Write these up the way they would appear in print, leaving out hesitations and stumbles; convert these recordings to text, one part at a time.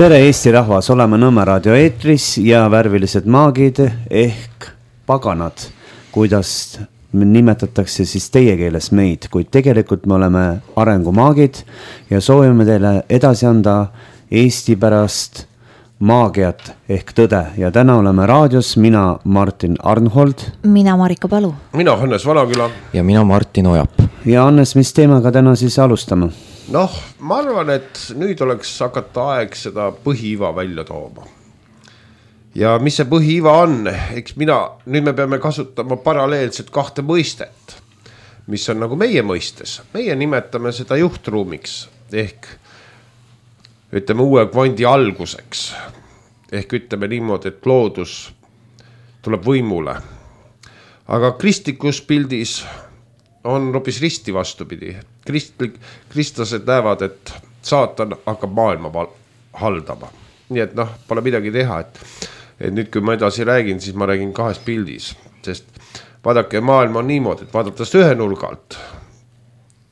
Tere Eesti rahvas, oleme Nõmme raadio eetris ja värvilised maagid ehk paganad, kuidas nimetatakse siis teie keeles meid, kuid tegelikult me oleme arengumaagid ja soovime teile edasi anda Eesti pärast maagiat ehk tõde. Ja täna oleme raadios mina Martin Arnhold, mina Marika Palu, mina Hannes Valaküla ja mina Martin Ojap. Ja Hannes, mis teemaga täna siis alustame? Noh, ma arvan, et nüüd oleks hakata aeg seda põhiiva välja tooma. Ja mis see põhiiva on? Eks nüüd me peame kasutama paralleelselt kahte mõistet, mis on nagu meie mõistes. Meie nimetame seda juhtruumiks ehk ütleme uue kvandi alguseks. Ehk ütleme niimoodi, et loodus tuleb võimule. Aga kristlikus pildis on hoopis risti vastupidi. Kristlased näevad, et saatan hakkab maailma haldama. Nii et pole midagi teha, et nüüd kui ma edasi räägin, siis ma räägin kahes pildis. Sest vaadake, maailm on niimoodi, et vaadates ühe nurgalt,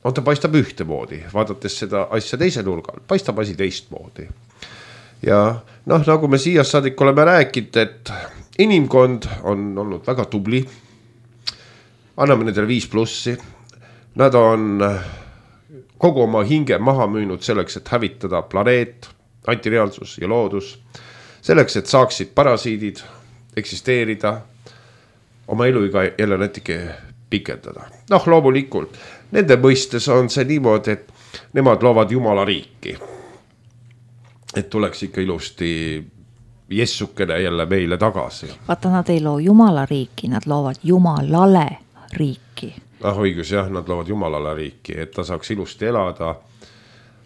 ta paistab ühtemoodi. Vaadates seda asja teise nurgalt, paistab asi teistmoodi. Ja nagu me siia saadik oleme rääkinud, et inimkond on olnud väga tubli. Anname nendele 5+. Nad on kogu oma hinge maha müünud selleks, et hävitada planeet, antireaalsus ja loodus. Selleks, et saaksid parasiidid eksisteerida, oma eluiga jälle natuke pikendada. Loomulikult, nende mõistes on see niimoodi, et nemad loovad Jumala riiki. Et tuleks ikka ilusti jessukene jälle meile tagasi. Vaata, nad ei loo Jumala riiki, nad loovad Jumalale riiki. Õigus, jah, nad loovad Jumalale riiki, et ta saaks ilusti elada.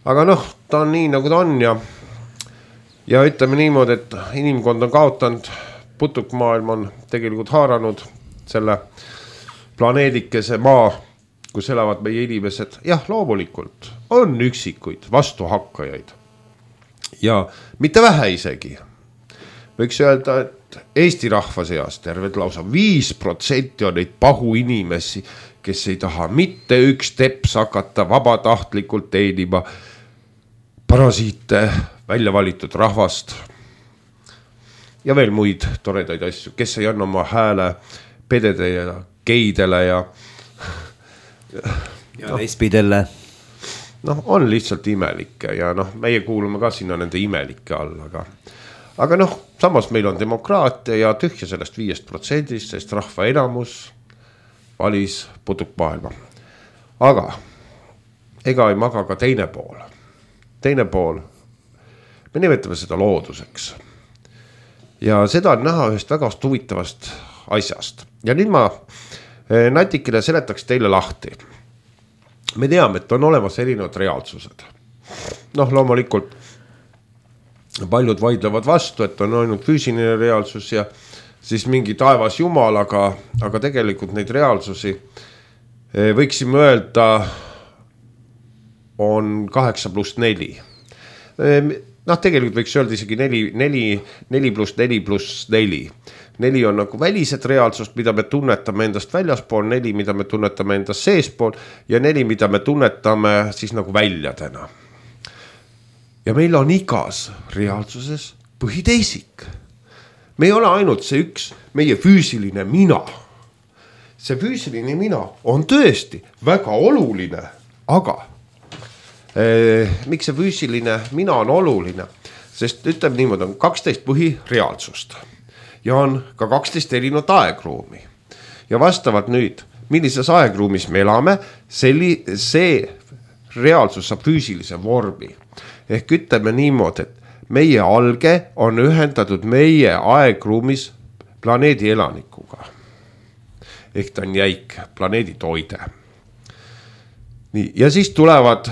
Aga ta on nii, nagu ta on ja ütleme niimoodi, et inimkond on kaotanud, putukmaailm on tegelikult haaranud selle planeedikese maa, kus elavad meie inimesed. Jah, loomulikult on üksikuid vastuhakkajaid ja mitte vähe isegi. Võiks öelda, et Eesti rahva seas terved lausa 5% on neid pahu inimesi, kes ei taha mitte üks teps hakata vabatahtlikult teenima parasiite, välja valitud rahvast ja veel muid toredaid asju, kes ei anna oma hääle pedede ja geidele ja lesbidele. On lihtsalt imelikke ja meie kuulume ka sinna nende imelike all, aga samas meil on demokraatia ja tühja sellest 5%, sest rahva enamus valis putukmaailma. Aga ega ei maga ka teine pool. Teine pool, me nimetame seda looduseks. Ja seda on näha ühest väga huvitavast asjast. Ja nüüd ma natikene seletaks teile lahti. Me teame, et on olemas erinevad reaalsused. Loomulikult paljud vaidlevad vastu, et on ainult füüsiline reaalsus ja siis mingi taevas jumal, aga tegelikult neid reaalsusi võiksime öelda on 8+4. Tegelikult võiks öelda isegi 4+4+4. 4 on nagu välised reaalsust, mida me tunnetame endast väljaspool, 4, mida me tunnetame endast seespool ja 4, mida me tunnetame siis nagu väljadena. Ja meil on igas reaalsuses põhiteisik. Me ei ole ainult see üks meie füüsiline mina. See füüsiline mina on tõesti väga oluline, aga miks see füüsiline mina on oluline? Sest ütleme niimoodi, on 12 põhireaalsust ja on ka 12 erinevat aegruumi. Ja vastavalt nüüd, millises aegruumis me elame, see reaalsus saab füüsilise vormi. Ehk ütleme niimoodi, et meie alge on ühendatud meie aegruumis planeedi elanikuga. Ehk ta on jäik, planeedi toide. Nii, ja siis tulevad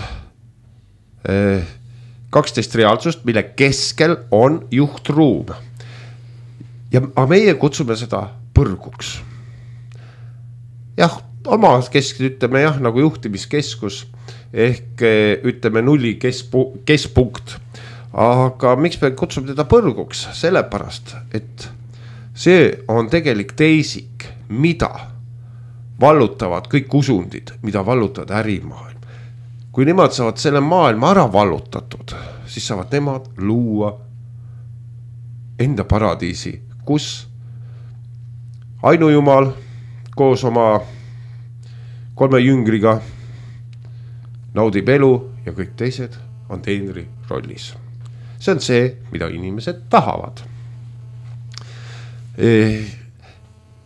12 reaalsust, mille keskel on juhtruum. Ja meie kutsume seda põrguks. Jah, oma keskid ütleme nagu juhtimiskeskus ehk ütleme nulli keskpunkt. Aga miks me kutsume teda põrguks? Sellepärast, et see on tegelik teisik, mida vallutavad kõik usundid, mida vallutavad ärimaailm. Kui nemad saavad selle maailma ära vallutatud, siis saavad nemad luua enda paradiisi, kus ainujumal koos oma 3 jüngriga naudib elu ja kõik teised on teenri rollis. See on see, mida inimesed tahavad.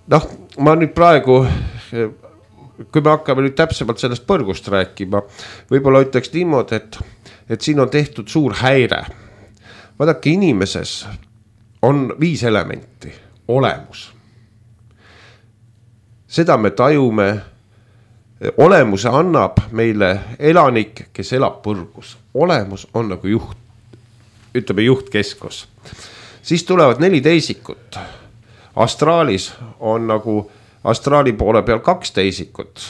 Noh, ma nüüd praegu, kui me hakkame nüüd täpsemalt sellest põrgust rääkima, võib-olla ütleks niimoodi, et siin on tehtud suur häire. Vaadake, inimeses on 5 elementi. Olemus. Seda me tajume, olemuse annab meile elanik, kes elab põrgus. Olemus on nagu juht, ütleme juhtkeskus. Siis tulevad 4 teisikut. Astraalis on nagu astraali poole peal 2 teisikut.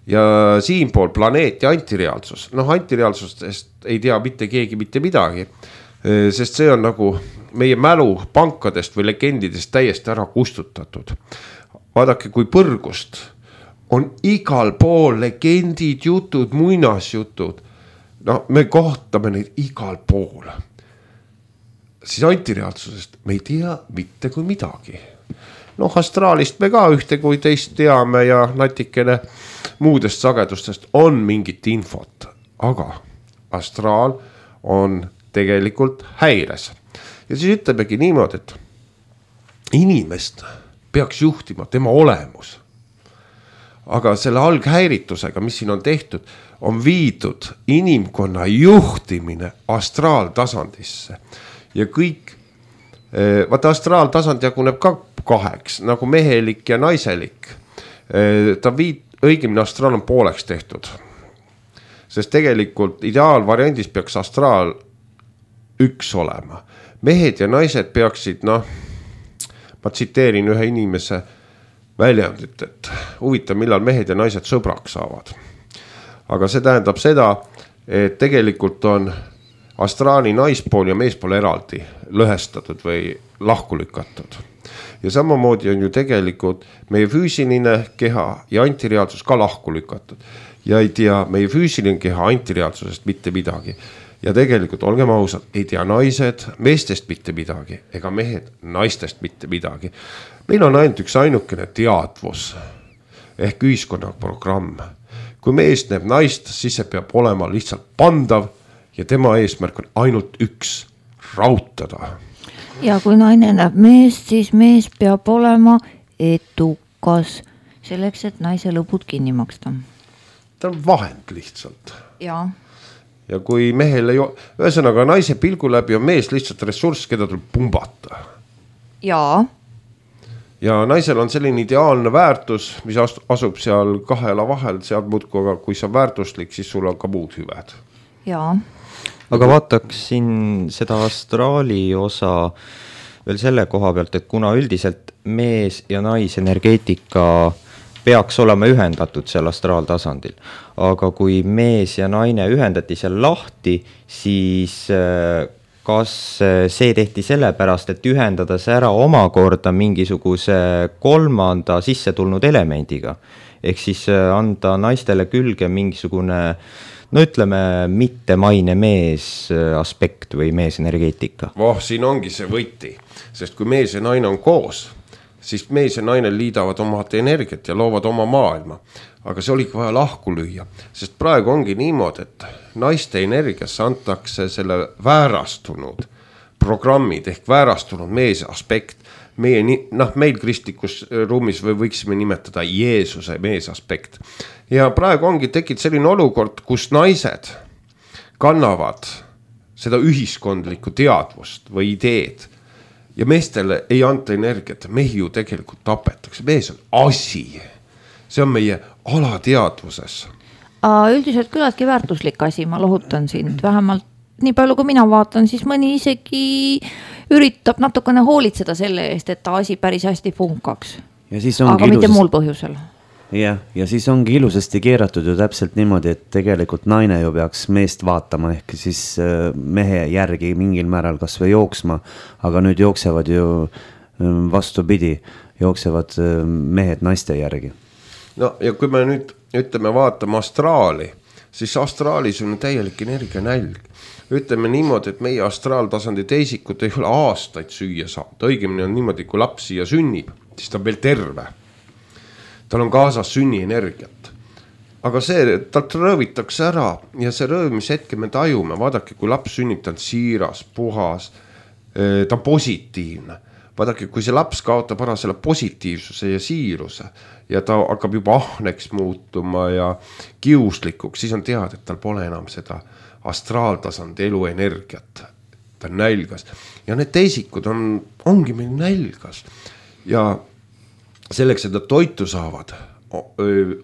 Ja siinpool planeet ja antireaalsus. Noh, antireaalsustest ei tea mitte keegi mitte midagi. Sest see on nagu meie mälu pankadest või legendidest täiesti ära kustutatud. Vaadake, kui põrgust on igal pool legendid, jutud, muinasjutud. No me kohtame neid igal pool. Siis antireaalsusest me ei tea mitte kui midagi. Noh, astraalist me ka ühte kui teist teame ja natikene muudest sagedustest on mingit infot. Aga astraal on tegelikult häires. Ja siis ütlemegi niimoodi, et inimest peaks juhtima tema olemus. Aga selle alghäiritusega, mis siin on tehtud, on viidud inimkonna juhtimine astraaltasandisse. Ja kõik, vaata astraaltasand jaguneb ka 2, nagu mehelik ja naiselik. Ta õigemini astraal on pooleks tehtud. Sest tegelikult ideaalvariandis peaks astraal 1 olema. Mehed ja naised peaksid, ma tsiteerin ühe inimese väljendit, et huvitav, millal mehed ja naised sõbraks saavad. Aga see tähendab seda, et tegelikult on astraali naispool ja meespool eraldi lõhestatud või lahku lükatud. Ja samamoodi on ju tegelikult meie füüsiline keha ja antireaalsus ka lahku lükatud. Ja ei tea meie füüsiline keha antireaalsusest mitte midagi. Ja tegelikult, olgem ausad, ei tea naised meestest mitte midagi, ega mehed naistest mitte midagi. Meil on ainult üks ainukene teadvus ehk ühiskonna programm. Kui mees näeb naist, siis see peab olema lihtsalt pandav ja tema eesmärk on ainult 1, rautada. Ja kui naine näeb meest, siis mees peab olema edukas selleks, et naise lõbud kinni maksta. Ta on vahend lihtsalt. Jaa. Ja kui mehel ei ole, ühesõnaga naise pilgu läbi on mees lihtsalt ressurss, keda tuleb pumbata. Jaa. Ja naisel on selline ideaalne väärtus, mis asub seal 2 jala vahel, sealt muudku, aga kui sa väärtuslik, siis sul on ka muud hüved. Jaa. Aga vaataks siin seda astraali osa veel selle koha pealt, et kuna üldiselt mees ja naisenergeetika peaks olema ühendatud seal astraaltasandil. Aga kui mees ja naine ühendati seal lahti, siis kas see tehti sellepärast, et ühendada see ära omakorda mingisuguse 3. sisse tulnud elemendiga? Ehk siis anda naistele külge mingisugune, no ütleme, mitte maine mees aspekt või mees energeetika. Siin ongi see võti, sest kui mees ja naine on koos, siis mees ja naine liidavad omad energiat ja loovad oma maailma. Aga see oligi vaja lahku lüüa, sest praegu ongi niimoodi, et naiste energiasse antakse selle väärastunud programmid ehk väärastunud mees aspekt. Meil kristlikus ruumis võiksime nimetada Jeesuse mees aspekt. Ja praegu ongi tekkinud selline olukord, kus naised kannavad seda ühiskondlikku teadvust või ideed. Ja meestele ei anta energiat, mehi ju tegelikult tapetakse. Mees on asi. See on meie alateadvuses. Üldiselt küllaltki väärtuslik asi, ma lohutan sind. Vähemalt nii palju, kui mina vaatan, siis mõni isegi üritab natukene hoolitseda selle eest, et ta asi päris hästi funkaks. Aga mitte muul põhjusel. Ja siis ongi ilusasti keeratud ju täpselt niimoodi, et tegelikult naine ju peaks meest vaatama ehk siis mehe järgi mingil määral kas või jooksma, aga nüüd jooksevad ju vastupidi, jooksevad mehed naiste järgi. No ja kui me nüüd ütleme vaatame astraali, siis astraalis on täielik energianälg. ütleme niimoodi, et meie astraaltasandi teisikud ei ole aastaid süüa saanud. Õigemini on niimoodi, kui laps siia sünnib, siis ta on veel terve. Tal on kaasas sünnienergiat. Aga see, talt röövitakse ära ja see röövimishetke me tajume. Vaadake, kui laps sünnib, ta on siiras, puhas, ta on positiivne. Vaadake, kui see laps kaotab ära selle positiivsuse ja siiruse ja ta hakkab juba ahneks muutuma ja kiuslikuks, siis on teada, et tal pole enam seda astraaltasandi eluenergiat. Ta on nälgas. Ja need teisikud ongi meil nälgas. Ja selleks, et nad toitu saavad,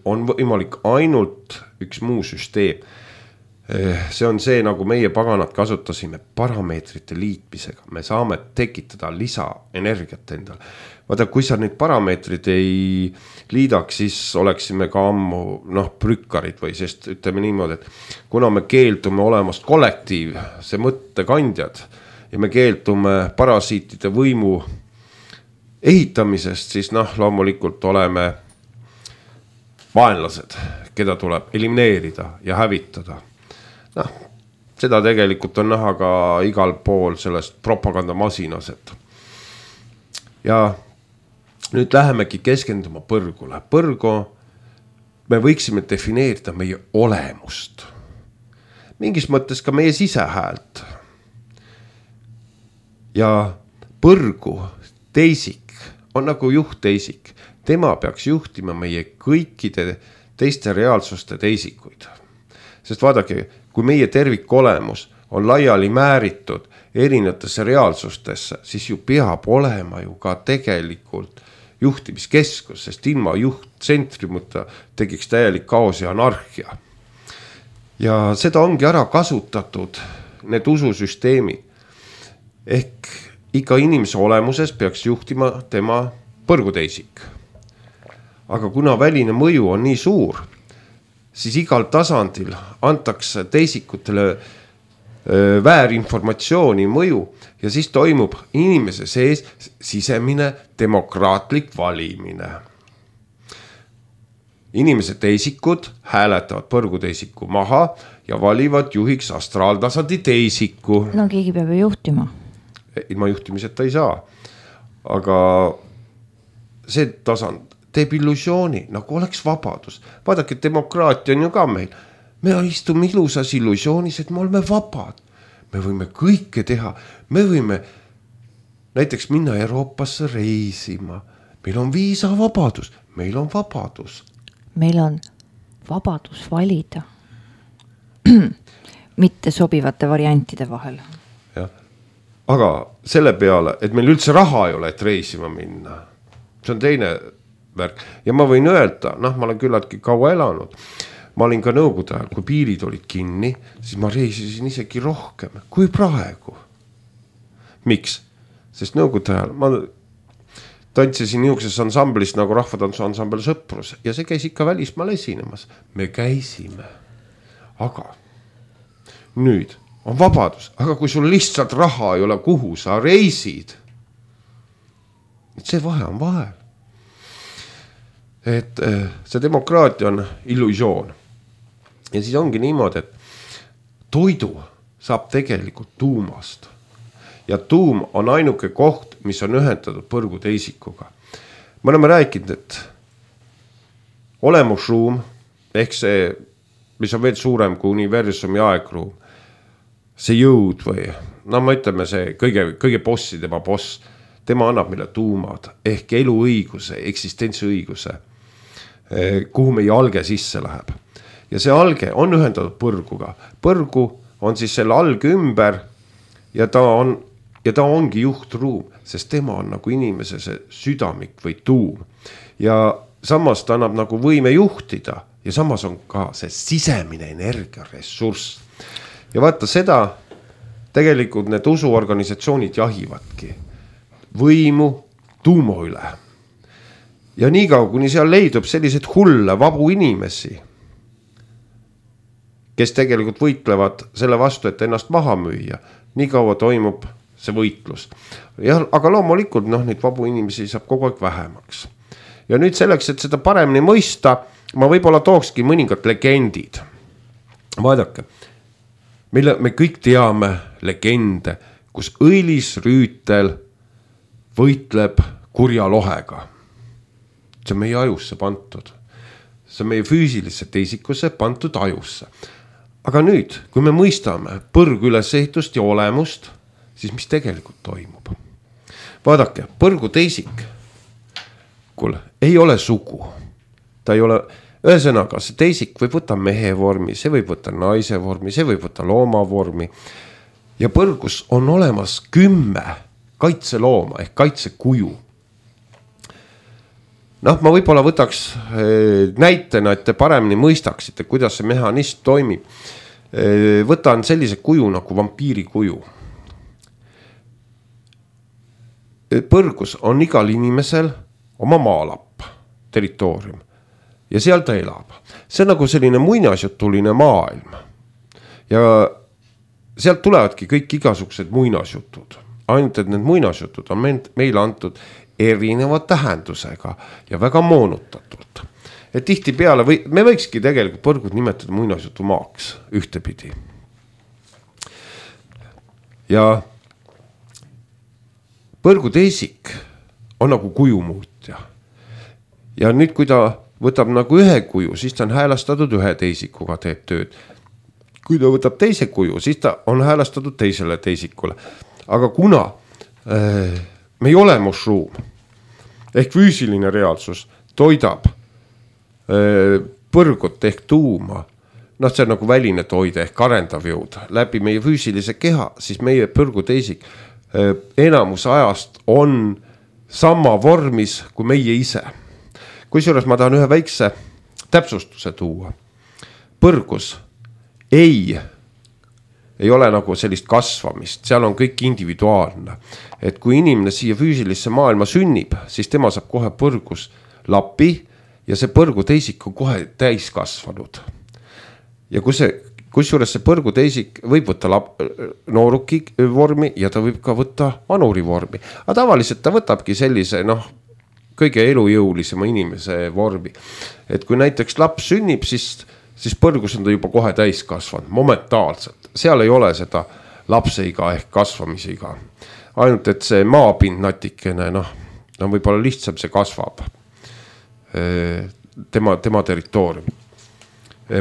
on võimalik ainult üks muu süsteem. See on see, nagu meie paganad kasutasime parameetrite liitmisega. Me saame tekitada lisaenergiat endale. Vaata, kui sa neid parameetrid ei liidaks, siis oleksime ka ammu prükkarid või sest ütleme niimoodi, et kuna me keeldume olemast kollektiiv, see mõttekandjad ja me keeldume parasiitide võimu ehitamisest, siis loomulikult oleme vaenlased, keda tuleb elimineerida ja hävitada. Seda tegelikult on näha ka igal pool sellest propagandamasinas. Ja nüüd lähemegi keskenduma põrgule. Põrgu me võiksime defineerida meie olemust. Mingis mõttes ka meie sisehäält. Ja põrgu teisik on nagu juhtteisik. Tema peaks juhtima meie kõikide teiste reaalsuste teisikuid. Sest vaadake, kui meie tervikolemus on laiali määritud erinevatesse reaalsustesse, siis ju peab olema ju ka tegelikult juhtimiskeskus, sest ilma juhttsentrimuta tekiks täielik kaos ja anarhia. Ja seda ongi ära kasutatud, need ususüsteemid. Ehk iga inimese olemuses peaks juhtima tema põrguteisik. Aga kuna väline mõju on nii suur, siis igal tasandil antakse teisikutele väärinformatsiooni mõju ja siis toimub inimese sees sisemine demokraatlik valimine. Inimese teisikud hääletavad põrguteisiku maha ja valivad juhiks astraaltasandi teisiku. No keegi peab ju juhtima. Ilma juhtimiseta ei saa. Aga see tasand teeb illusiooni, nagu oleks vabadus. Vaadake, demokraatia on ju ka meil. Me istume ilusas illusioonis, et me oleme vabad. Me võime kõike teha. Me võime näiteks minna Euroopasse reisima. Meil on viisavabadus. Meil on vabadus. Meil on vabadus valida. Mitte sobivate variantide vahel. Ja. Aga selle peale, et meil üldse raha ei ole, et reisima minna. See on teine värk. Ja ma võin öelda, ma olen küllaltki kaua elanud. Ma olin ka nõukogude ajal, kui piirid olid kinni, siis ma reisisin isegi rohkem kui praegu. Miks? Sest nõukogude ajal ma tantsisin niisuguses ansamblis nagu rahvatantsu ansambel Sõprus ja see käis ikka välismaal esinemas. Me käisime. Aga nüüd on vabadus. Aga kui sul lihtsalt raha ei ole, kuhu sa reisid, see vahe on vahel. Et see demokraatia on illusioon. Ja siis ongi niimoodi, et toidu saab tegelikult tuumast. Ja tuum on ainuke koht, mis on ühendatud põrguteisikuga. Me oleme rääkinud, et olemusruum, ehk see, mis on veel suurem kui universumi aegruum, see jõud või, ma ütleme see kõige bossi, tema boss, tema annab meile tuumad, ehk eluõiguse, eksistentsiõiguse, kuhu meie alge sisse läheb. Ja see alge on ühendatud põrguga. Põrgu on siis selle alge ümber ja ta ongi juhtruum, sest tema on nagu inimese see südamik või tuum. Ja samas ta annab nagu võime juhtida ja samas on ka see sisemine energiaressurss. Ja vaata seda, tegelikult need usuorganisatsioonid jahivadki võimu tuumo üle. Ja nii kaua, kuni seal leidub sellised hulle vabu inimesi, kes tegelikult võitlevad selle vastu, et ennast maha müüa, nii kaua toimub see võitlus. Ja, aga loomulikult neid vabu inimesi saab kogu aeg vähemaks. Ja nüüd selleks, et seda paremini mõista, ma võib-olla tookski mõningad legendid. Vaadake, me kõik teame legende, kus õilisrüütel võitleb kurja lohega. See on meie ajusse pantud. See on meie füüsilisse teisikusse pantud ajusse. Aga nüüd, kui me mõistame põrgu ülesehitust ja olemust, siis mis tegelikult toimub? Vaadake, põrgu teisikul ei ole sugu. Ta ei ole, ühesõnaga, see teisik võib võtta mehe vormi, see võib võtta naise vormi, see võib võtta looma vormi. Ja põrgus on olemas 10 kaitselooma ehk kaitsekuju. Noh, ma võib-olla võtaks näitena, et te paremini mõistaksite, kuidas see mehhanism toimib. Võtan sellise kuju nagu vampiiri kuju. Põrgus on igal inimesel oma maalapp, territoorium ja seal ta elab. See on nagu selline muinasjutuline maailm ja sealt tulevadki kõik igasugused muinasjutud. Ainult, et need muinasjutud on meile antud erineva tähendusega ja väga moonutatult. Et tihti peale me võikski tegelikult põrgud nimetada muinasjutu maaks ühtepidi. Ja põrgu teisik on nagu kujumuutja. Ja nüüd, kui ta võtab nagu ühe kuju, siis ta on häälastatud ühe teisikuga, teeb tööd. Kui ta võtab teise kuju, siis ta on häälastatud teisele teisikule. Aga kuna meie olemusruum ehk füüsiline reaalsus toidab põrgut ehk tuuma, noh, see on nagu väline toide ehk arendav jõud läbi meie füüsilise keha, siis meie põrgu teisik enamus ajast on sama vormis kui meie ise. Kusjuures ma tahan ühe väikse täpsustuse tuua. Põrgus ei ole nagu sellist kasvamist, seal on kõik individuaalne. Et kui inimene siia füüsilisse maailma sünnib, siis tema saab kohe põrgus lapi ja see põrgu teisik on kohe täis kasvanud. Ja kusjuures see põrgu teisik võib võtta nooruki vormi ja ta võib ka võtta vanuri vormi. Aga tavaliselt ta võtabki sellise kõige elujõulisema inimese vormi. Et kui näiteks laps sünnib, siis põrgus on ta juba kohe täis kasvanud, momentaalselt. Seal ei ole seda lapseiga ehk kasvamisiga. Ainult, et see maapind natikene, võib-olla lihtsam see kasvab. Tema territoorium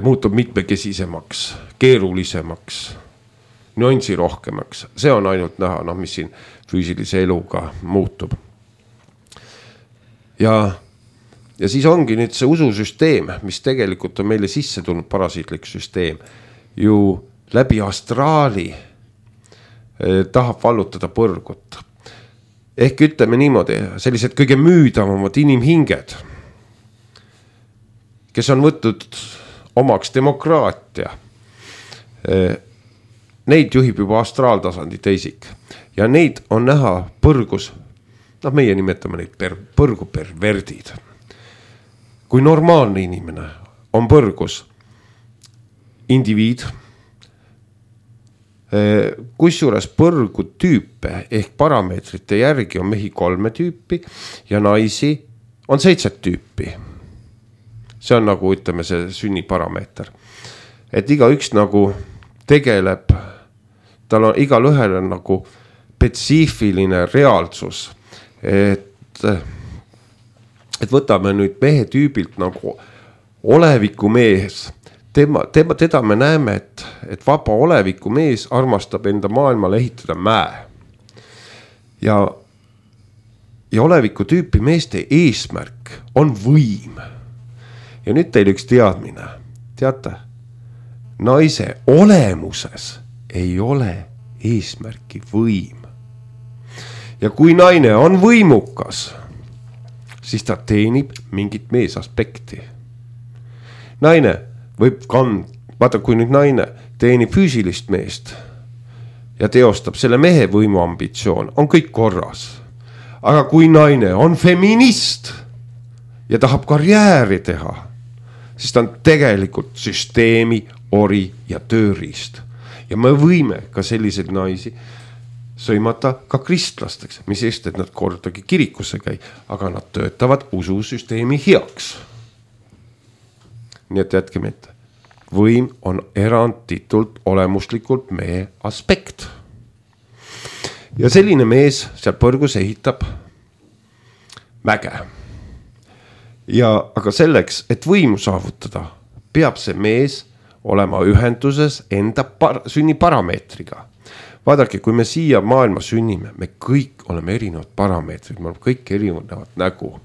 muutub mitmekesisemaks, keerulisemaks, nüansi rohkemaks. See on ainult näha, mis siin füüsilise eluga muutub. Ja siis ongi nüüd see ususüsteem, mis tegelikult on meile sisse tulnud parasiitlik süsteem, ju läbi astraali tahab vallutada põrgut. Ehk ütleme niimoodi, sellised kõige müüdavamad inimhinged, kes on võtnud omaks demokraatia, neid juhib juba astraaltasandi teisik ja neid on näha põrgus, meie nimetame neid põrgu perverdid. Kui normaalne inimene on põrgus indiviid, kusjuures põrgu tüüpe ehk parameetrite järgi on mehi 3 tüüpi ja naisi on 7 tüüpi. See on nagu, ütleme, see sünniparameeter. Et iga üks nagu tegeleb, tal on igal ühel on nagu spetsiifiline reaalsus. Et võtame nüüd mehe tüübilt nagu oleviku mees. Teda me näeme, et vaba oleviku mees armastab enda maailmale ehitada mäe. Ja oleviku tüüpi meeste eesmärk on võim. Ja nüüd teil üks teadmine. Teate, naise olemuses ei ole eesmärki võim. Ja kui naine on võimukas, siis ta teenib mingit meesaspekti. Naine võib vaata, kui nüüd naine teenib füüsilist meest ja teostab selle mehe võimuambitsioon, on kõik korras. Aga kui naine on feminist ja tahab karjääri teha, siis ta on tegelikult süsteemi, ori ja tööriist. Ja me võime ka selliseid naisi sõimata ka kristlasteks, mis eest, et nad kordagi kirikusse käi, aga nad töötavad ususüsteemi heaks. Nii et jätke mitte. võim on eranditult olemuslikult meie aspekt. Ja selline mees seal põrgus ehitab mäge. Ja aga selleks, et võimu saavutada, peab see mees olema ühenduses enda sünniparameetriga. Vaadake, kui me siia maailma sünnime, me kõik oleme erinevad parameetrid, me oleme kõik erinevad nägu.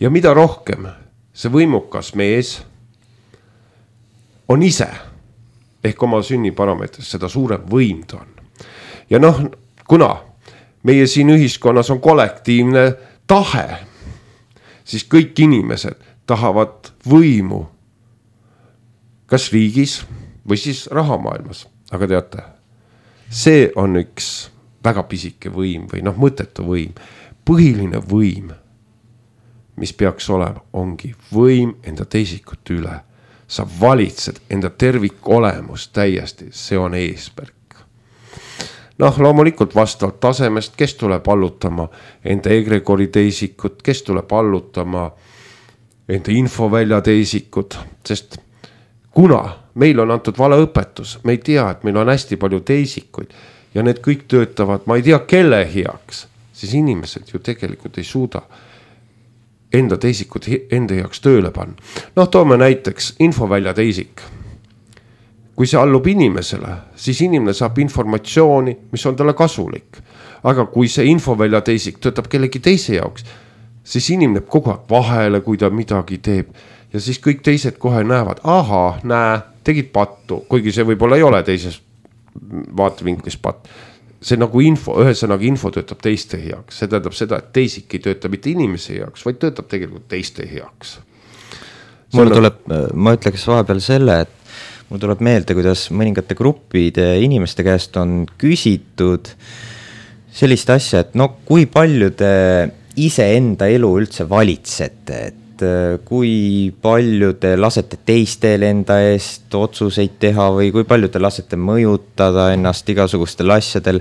Ja mida rohkem see võimukas mees on ise ehk oma sünniparameetris, seda suurem võim ta on. Ja noh, kuna meie siin ühiskonnas on kollektiivne tahe, siis kõik inimesed tahavad võimu kas riigis või siis rahamaailmas. Aga teate, see on üks väga pisike võim või mõttetu võim. Põhiline võim, mis peaks olema, ongi võim enda teisikute üle. Sa valitsed enda tervikolemust täiesti, see on eesmärk. Loomulikult vastavalt tasemest, kes tuleb allutama enda egregori teisikut, kes tuleb allutama enda infovälja teisikut, sest kuna meil on antud valeõpetus, me ei tea, et meil on hästi palju teisikuid ja need kõik töötavad, ma ei tea, kelle heaks, siis inimesed ju tegelikult ei suuda enda teisikut enda heaks tööle panna. Toome näiteks infovälja teisik. Kui see allub inimesele, siis inimene saab informatsiooni, mis on talle kasulik. Aga kui see infovälja teisik töötab kellegi teise jaoks, siis inimene kogu aeg vahele, kui ta midagi teeb. Ja siis kõik teised kohe näevad, tegid pattu, kuigi see võib-olla ei ole teises vaatevinklis patt. See nagu ühesõnaga info töötab teiste heaks. See tähendab seda, et teisik ei tööta mitte inimese heaks, vaid töötab tegelikult teiste heaks. Ma ütleks vahepeal selle, et mul tuleb meelde, kuidas mõningate gruppide inimeste käest on küsitud sellist asja, et kui palju te iseenda elu üldse valitsete, et kui palju te lasete teistel enda eest otsuseid teha või kui palju te lasete mõjutada ennast igasugustel asjadel,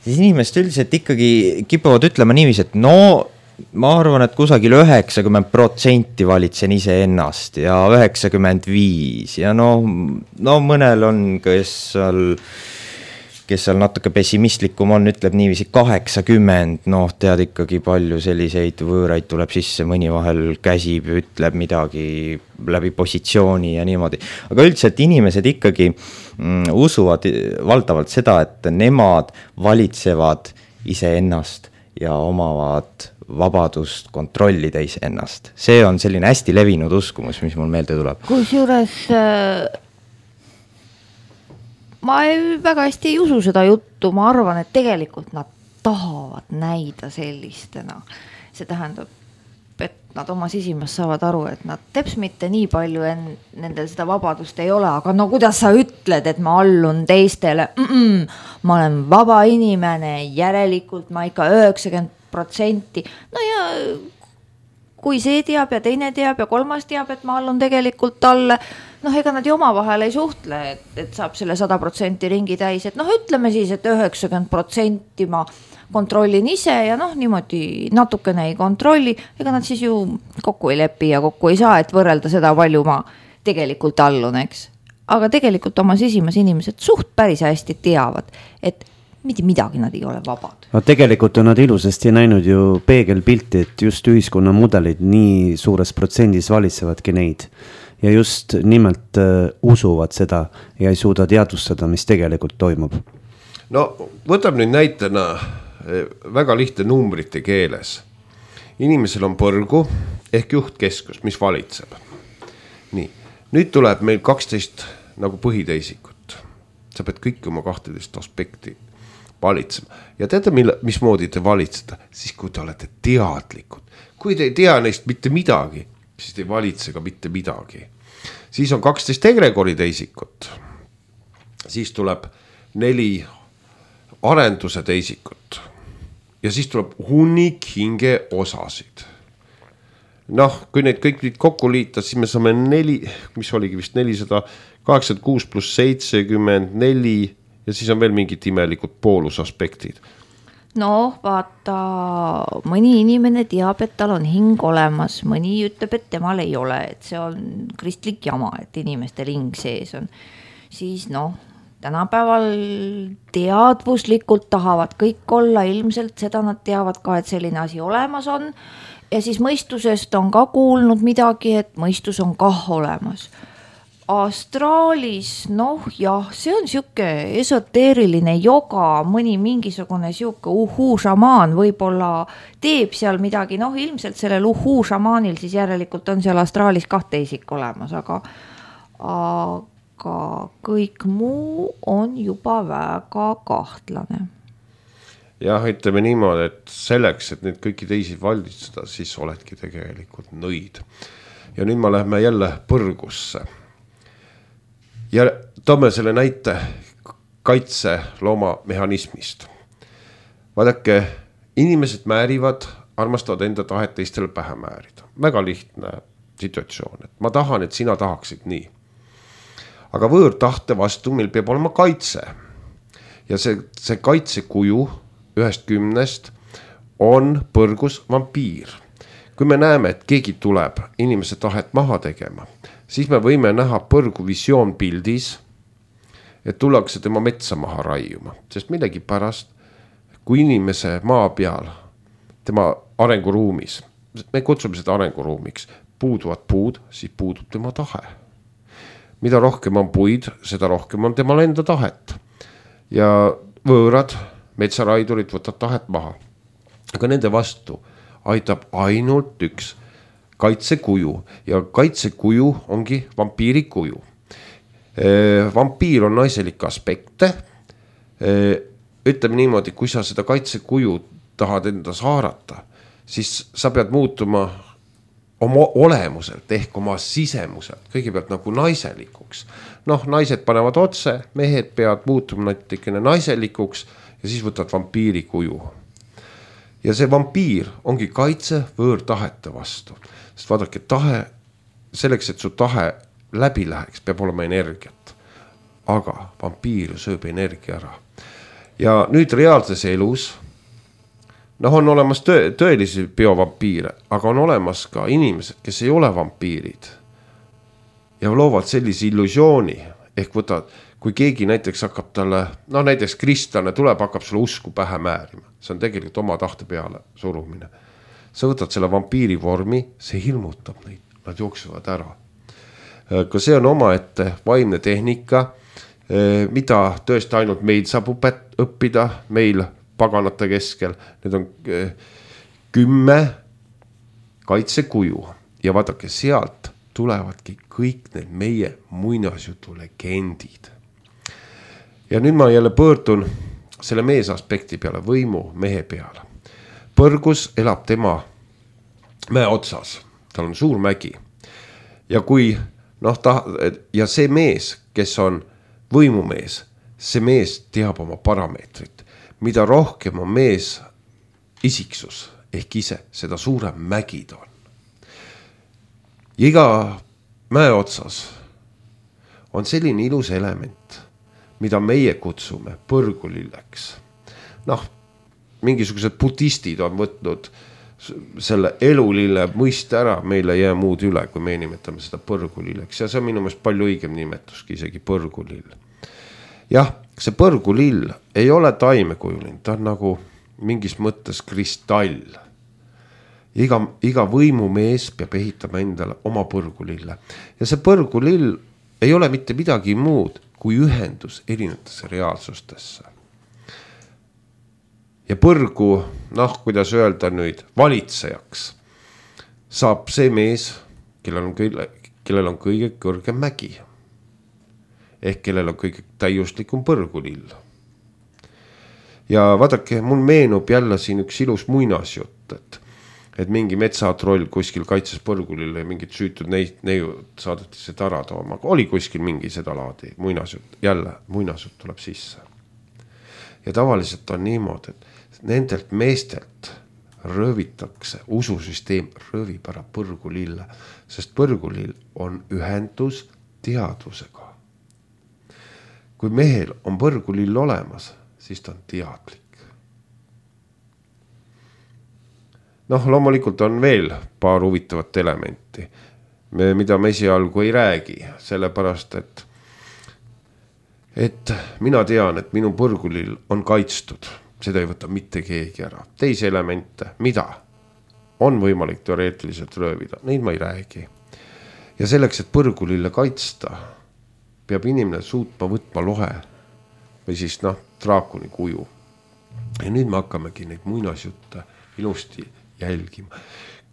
siis inimesed üldiselt ikkagi kipuvad ütlema niiviisi, et ma arvan, et kusagil 90% valitsen ise ennast ja 95% ja mõnel on, kes seal natuke pessimistlikum on, ütleb niiviisi 80, tead ikkagi palju selliseid võõraid tuleb sisse, mõni vahel käsib, ütleb midagi läbi positsiooni ja niimoodi. Aga üldiselt inimesed ikkagi usuvad valdavalt seda, et nemad valitsevad ise ennast ja omavad vabadust kontrollida iseennast. See on selline hästi levinud uskumus, mis mul meelde tuleb. Kusjuures ma väga hästi ei usu seda juttu, ma arvan, et tegelikult nad tahavad näida sellistena. See tähendab, et nad oma sisimas saavad aru, et nad teps mitte nii palju nendel seda vabadust ei ole, aga kuidas sa ütled, et ma allun teistele? Ma olen vaba inimene, järelikult ma ikka 90%. Ja kui see teab ja teine teab ja kolmas teab, et ma allun tegelikult talle, ega nad ju oma vahel ei suhtle, et saab selle 100% ringi täis, et ütleme siis, et 90% ma kontrollin ise ja niimoodi natukene ei kontrolli, ega nad siis ju kokku ei lepi ja kokku ei saa, et võrrelda seda, palju ma tegelikult allun, eks. Aga tegelikult oma sisimas inimesed suht päris hästi teavad, et mitte midagi nad ei ole vabad. Tegelikult on nad ilusasti näinud ju peegelpilti, et just ühiskonna mudelid nii suures protsendis valitsevadki neid. Ja just nimelt usuvad seda ja ei suuda teadvustada, mis tegelikult toimub. Võtab nüüd näitena väga lihtne numbrite keeles. Inimesel on põrgu ehk juhtkeskus, mis valitseb. Nii, nüüd tuleb meil 12 nagu põhiteisikut. Sa pead kõik oma 12 aspekti valitsema. Ja teate, mismoodi te valitsete? Siis kui te olete teadlikud. Kui te ei tea neist mitte midagi, siis te ei valitse ka mitte midagi. Siis on 12 egregori teisikut. Siis tuleb 4 arenduse teisikut. Ja siis tuleb hunnik hinge osasid. Kui need kõik kokku liita, siis me saame 4, mis oligi vist 486 plus 74 ja siis on veel mingid imelikud poolusaspektid. noh, vaata, mõni inimene teab, et tal on hing olemas, mõni ütleb, et temal ei ole, et see on kristlik jama, et inimestel hing sees on. Siis noh, tänapäeval teadvuslikult tahavad kõik olla, ilmselt seda nad teavad ka, et selline asi olemas on. Ja siis mõistusest on ka kuulnud midagi, et mõistus on kah olemas. Astraalis, noh jah, see on siuke esoteeriline joga, mõni mingisugune siuke šamaan võib-olla teeb seal midagi, noh ilmselt sellel šamaanil siis järelikult on seal astraalis 2 isik olemas, aga kõik muu on juba väga kahtlane. Jah, ütleme niimoodi, et selleks, et neid kõiki teisi valitseda, siis oledki tegelikult nõid. Ja nüüd me lähme jälle põrgusse. Ja toome selle näite kaitselooma mehhanismist. Vaadake, inimesed määrivad, armastavad enda tahet teistele pähe määrida. Väga lihtne situatsioon, et ma tahan, et sina tahaksid nii. Aga võõrtahte vastu meil peab olema kaitse. Ja see kaitsekuju 1/10 on põrgus vampiir. Kui me näeme, et keegi tuleb inimese tahet maha tegema, siis me võime näha põrgu visioon pildis, et tullakse tema metsa maha raiuma. Sest millegi pärast, kui inimese maa peal, tema arenguruumis, me kutsume seda arenguruumiks, puuduvad puud, siis puudub tema tahe. Mida rohkem on puid, seda rohkem on temal enda tahet. Ja võõrad metsaraidurid võtavad tahet maha. Aga nende vastu aitab ainult üks kaitsekuju ja kaitsekuju ongi vampiiri kuju. Vampiir on naiselik aspekte. Ütleme niimoodi, kui sa seda kaitsekuju tahad endas haarata, siis sa pead muutuma oma olemuselt ehk oma sisemuselt kõigepealt nagu naiselikuks. Noh, naised panevad otse, mehed peavad muutuma natikene naiselikuks ja siis võtad vampiiri kuju. Ja see vampiir ongi kaitse võõrtahete vastu. Sest vaadake, tahe, selleks, et su tahe läbi läheks, peab olema energiat. Aga vampiir sööb energia ära. Ja nüüd reaalses elus, noh on olemas tõelisi biovampiire, aga on olemas ka inimesed, kes ei ole vampiirid. Ja loovad sellise illusiooni, ehk võtad, kui keegi näiteks hakkab talle, no näiteks kristlane tuleb, hakkab sulle usku pähe määrima. See on tegelikult oma tahte peale surumine. Sa võtad selle vampiiri vormi, see hirmutab neid, nad jooksuvad ära. Ka see on omaette vaimne tehnika, mida tõesti ainult meil saab õppida, meil paganate keskel. Need on 10 kaitsekuju ja vaadake, sealt tulevadki kõik need meie muinasjutu legendid. Ja nüüd ma jälle pöördun selle mees aspekti peale, võimu mehe peale. Põrgus elab tema mäe otsas, tal on suur mägi. Ja kui, noh, ja see mees, kes on võimumees, see mees teab oma parameetrit. Mida rohkem on mees isiksus ehk ise, seda suurem mägi ta on. Ja iga mäe otsas on selline ilus element, mida meie kutsume põrgulilleks. Noh, mingisugused budistid on võtnud selle elulille mõiste ära, meil ei jää muud üle, kui me nimetame seda põrgulilleks. Ja see on minu meelest palju õigem nimetuski, isegi põrgulill. Jah, see põrgulill ei ole taimekujuline, ta on nagu mingis mõttes kristall. Iga võimumees peab ehitama endale oma põrgulille. Ja see põrgulill ei ole mitte midagi muud kui ühendus erinevatesse reaalsustesse. Ja põrgu, noh, kuidas öelda nüüd, valitsejaks saab see mees, kellel on kõige kõrgem mägi. Ehk kellel on kõige täiuslikum põrgulill. Ja vaadake, mul meenub jälle siin üks ilus muinasjutt, et mingi metsatroll kuskil kaitses põrgulille ja mingid süütud neiud saadeti seda ära tooma. Oli kuskil mingi seda laadi muinasjutt, jälle muinasjutt tuleb sisse. Ja tavaliselt on niimoodi, et nendelt meestelt röövitakse, ususüsteem röövib ära põrgulille, sest põrgulill on ühendus teadvusega. Kui mehel on põrgulill olemas, siis ta on teadlik. noh, loomulikult on veel paar huvitavat elementi, mida me esialgu ei räägi, sellepärast, et mina tean, et minu põrgulil on kaitstud, seda ei võta mitte keegi ära. Teisi elemente, mida on võimalik teoreetiliselt röövida, neid ma ei räägi. Ja selleks, et põrgulille kaitsta, peab inimene suutma võtma lohe või siis draakoni kuju. Ja nüüd me hakkamegi neid muinasjutte ilusti jälgima.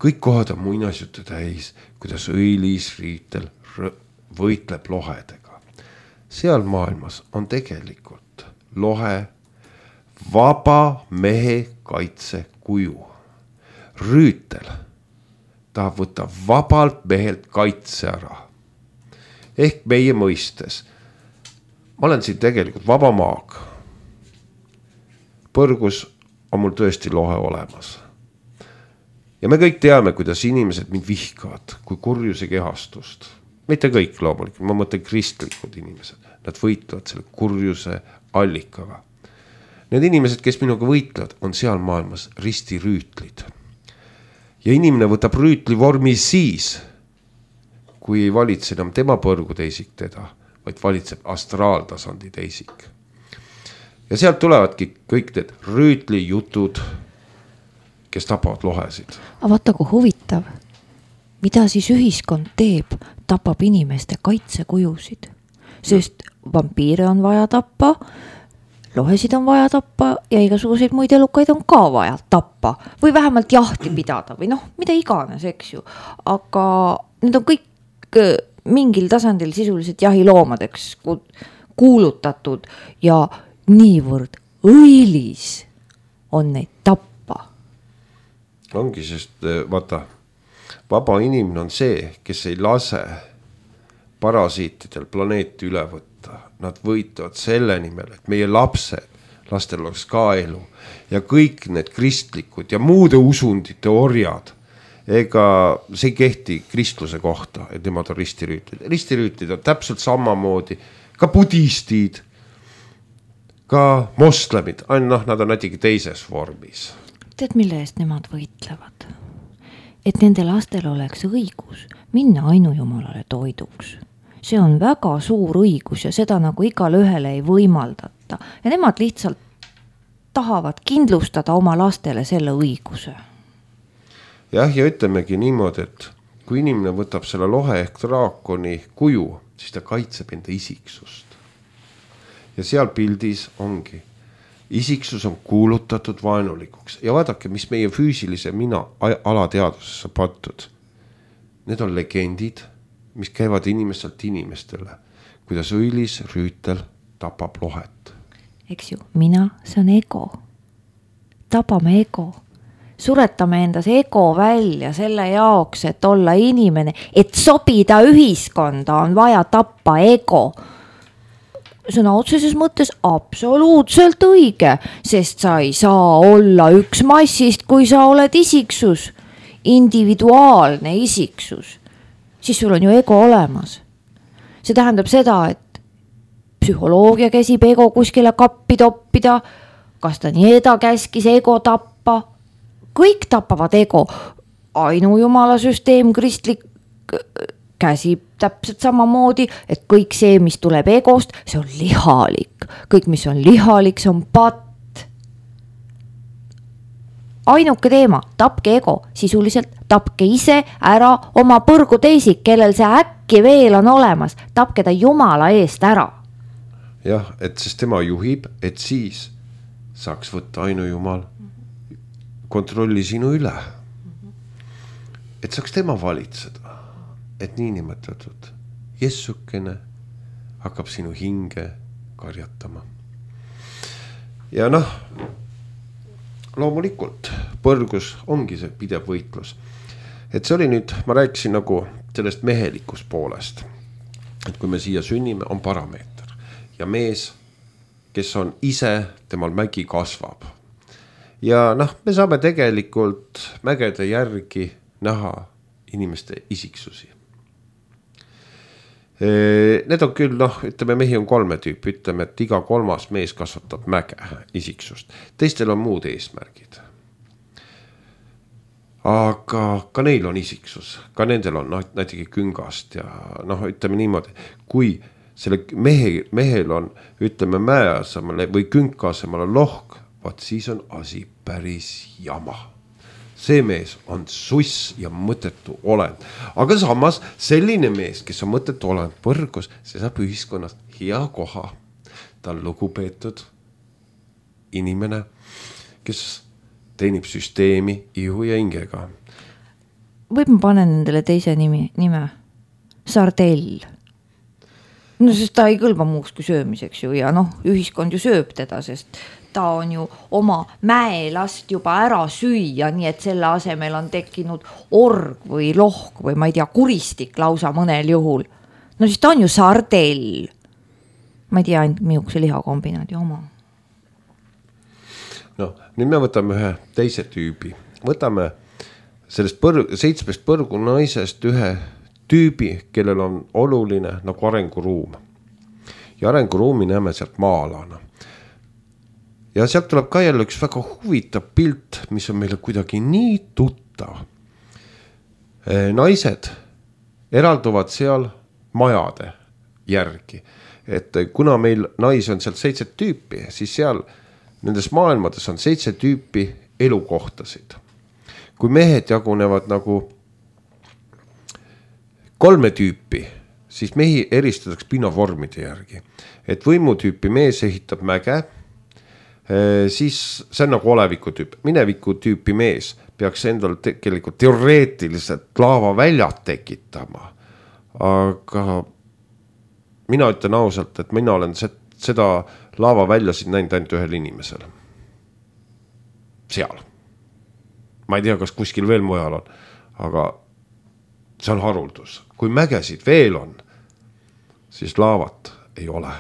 Kõik kohad on muinasjutte täis, kuidas õilis Rüütel võitleb lohedega. Seal maailmas on tegelikult lohe vaba mehe kaitse kuju. Rüütel tahab võtta vabalt mehelt kaitse ära. Ehk meie mõistes. Ma olen siin tegelikult vaba maag. Põrgus on mul tõesti lohe olemas. Ja me kõik teame, kuidas inimesed mind vihkavad, kui kurjuse kehastust. Mitte kõik loomulikult, ma mõtlen kristlikud inimesed. Nad võitlevad selle kurjuse allikaga. Need inimesed, kes minuga võitlevad, on seal maailmas ristirüütlid. Ja inimene võtab rüütli vormi siis, kui ei valitse enam tema põrgu teisik teda, vaid valitseb astraaltasandi teisik. Ja sealt tulevadki kõik need rüütli jutud, kes tapavad lohesid. Aga vaata, kui huvitav. Mida siis ühiskond teeb? Tapab inimeste kaitsekujusid. Sest vampiire on vaja tappa, lohesid on vaja tappa ja igasuguseid muid elukaid on ka vaja tappa. Või vähemalt jahti pidada või mida iganes, eks ju. Aga need on kõik mingil tasandil sisuliselt jahiloomadeks kuulutatud ja niivõrd õilis on neid tappa. Ongi, sest vaata, vaba inimene on see, kes ei lase parasiitidel planeeti üle võtta. Nad võitavad selle nimel, et meie lastel oleks ka elu ja kõik need kristlikud ja muude usundite orjad. Ega see ei kehti kristluse kohta, et nemad on ristirüütlid. Ristirüütlid on täpselt samamoodi, ka budistid, ka moslemid, nad on natuke teises vormis. Tead, mille eest nemad võitlevad? Et nende lastel oleks õigus minna ainujumalale toiduks. See on väga suur õigus ja seda nagu igale ühele ei võimaldata. Ja nemad lihtsalt tahavad kindlustada oma lastele selle õiguse. Jah, ja ütlemegi niimoodi, et kui inimene võtab selle lohe ehk draakoni kuju, siis ta kaitseb enda isiksust. Ja seal pildis ongi. Isiksus on kuulutatud vaenulikuks. Ja vaadake, mis meie füüsilise mina alateadvusesse pattud. Need on legendid, mis käivad inimestelt inimestele. Kuidas õilis Rüütel tapab lohet. Eks ju, mina, see on ego. Tapame ego. Suretame endas ego välja selle jaoks, et olla inimene. Et sobida ühiskonda on vaja tappa ego. Sõna otseses mõttes absoluutselt õige, sest sa ei saa olla üks massist, kui sa oled isiksus, individuaalne isiksus. Siis sul on ju ego olemas. See tähendab seda, et psühholoogia käsib ego kuskile kappi toppida, kas ta Nieda käskis ego tappa. Kõik tapavad ego. Ainujumala süsteem, kristlik käsib täpselt samamoodi, et kõik see, mis tuleb egost, see on lihalik. Kõik, mis on lihalik, see on patt. Ainuke teema, tapke ego, sisuliselt tapke ise ära oma põrgu teisik, kellel see äkki veel on olemas. Tapke ta jumala eest ära. Jah, et sest tema juhib, et siis saaks võtta ainujumal kontrolli sinu üle. Et saaks tema valitseda. Et niinimetatud jessukene hakkab sinu hinge karjatama. Ja loomulikult põrgus ongi see pidev võitlus. Et see oli nüüd, ma rääkisin nagu sellest mehelikust poolest. Et kui me siia sünnime, on parameeter. Ja mees, kes on ise, temal mägi kasvab. Ja me saame tegelikult mägede järgi näha inimeste isiksusi. Need on küll, ütleme, mehi on 3 tüüpi, ütleme, et iga 3. mees kasvatab mäge isiksust. Teistel on muud eesmärgid. aga ka neil on isiksus, ka nendel on näiteks küngast ja noh, ütleme niimoodi, kui selle mehel on, ütleme, mäe asemel või künka asemel on lohk, vaat siis on asi päris jama. See mees on suss ja mõttetu olend. Aga samas selline mees, kes on mõttetu olend põrgus, see saab ühiskonnas hea koha. Ta on lugupeetud inimene, kes teenib süsteemi ihu ja hingega. Võib ma panen nendele teise nime? Sardell. No sest ta ei kõlba muuks kui söömiseks ju ja noh, ühiskond ju sööb teda, sest ta on ju oma mäelast juba ära süüa, nii et selle asemel on tekkinud org või lohk või ma ei tea, kuristik lausa mõnel juhul. No siis ta on ju sardell. Ma ei tea, ainult mihukese lihakombinaadi oma. No, nüüd me võtame ühe teise tüübi. Võtame sellest 7 põrgu naisest ühe tüübi, kellel on oluline nagu arenguruum. Ja arenguruumi näeme sealt maa-alana. Ja sealt tuleb ka jälle üks väga huvitav pilt, mis on meile kuidagi nii tuttav. Naised eralduvad seal majade järgi. Et kuna meil naisi on seal 7 tüüpi, siis seal nendes maailmades on 7 tüüpi elukohtasid. Kui mehed jagunevad nagu 3 tüüpi, siis mehi eristatakse pinnavormide järgi. Et võimutüüpi mees ehitab mäge, siis see on nagu oleviku tüüp. Mineviku tüüpi mees peaks endal tegelikult teoreetiliselt laavaväljad tekitama. Aga mina ütlen ausalt, et mina olen seda laavaväljasid näinud ainult ühel inimesel. Seal. Ma ei tea, kas kuskil veel mujal on, aga see on haruldus. Kui mägesid veel on, siis laavat ei ole.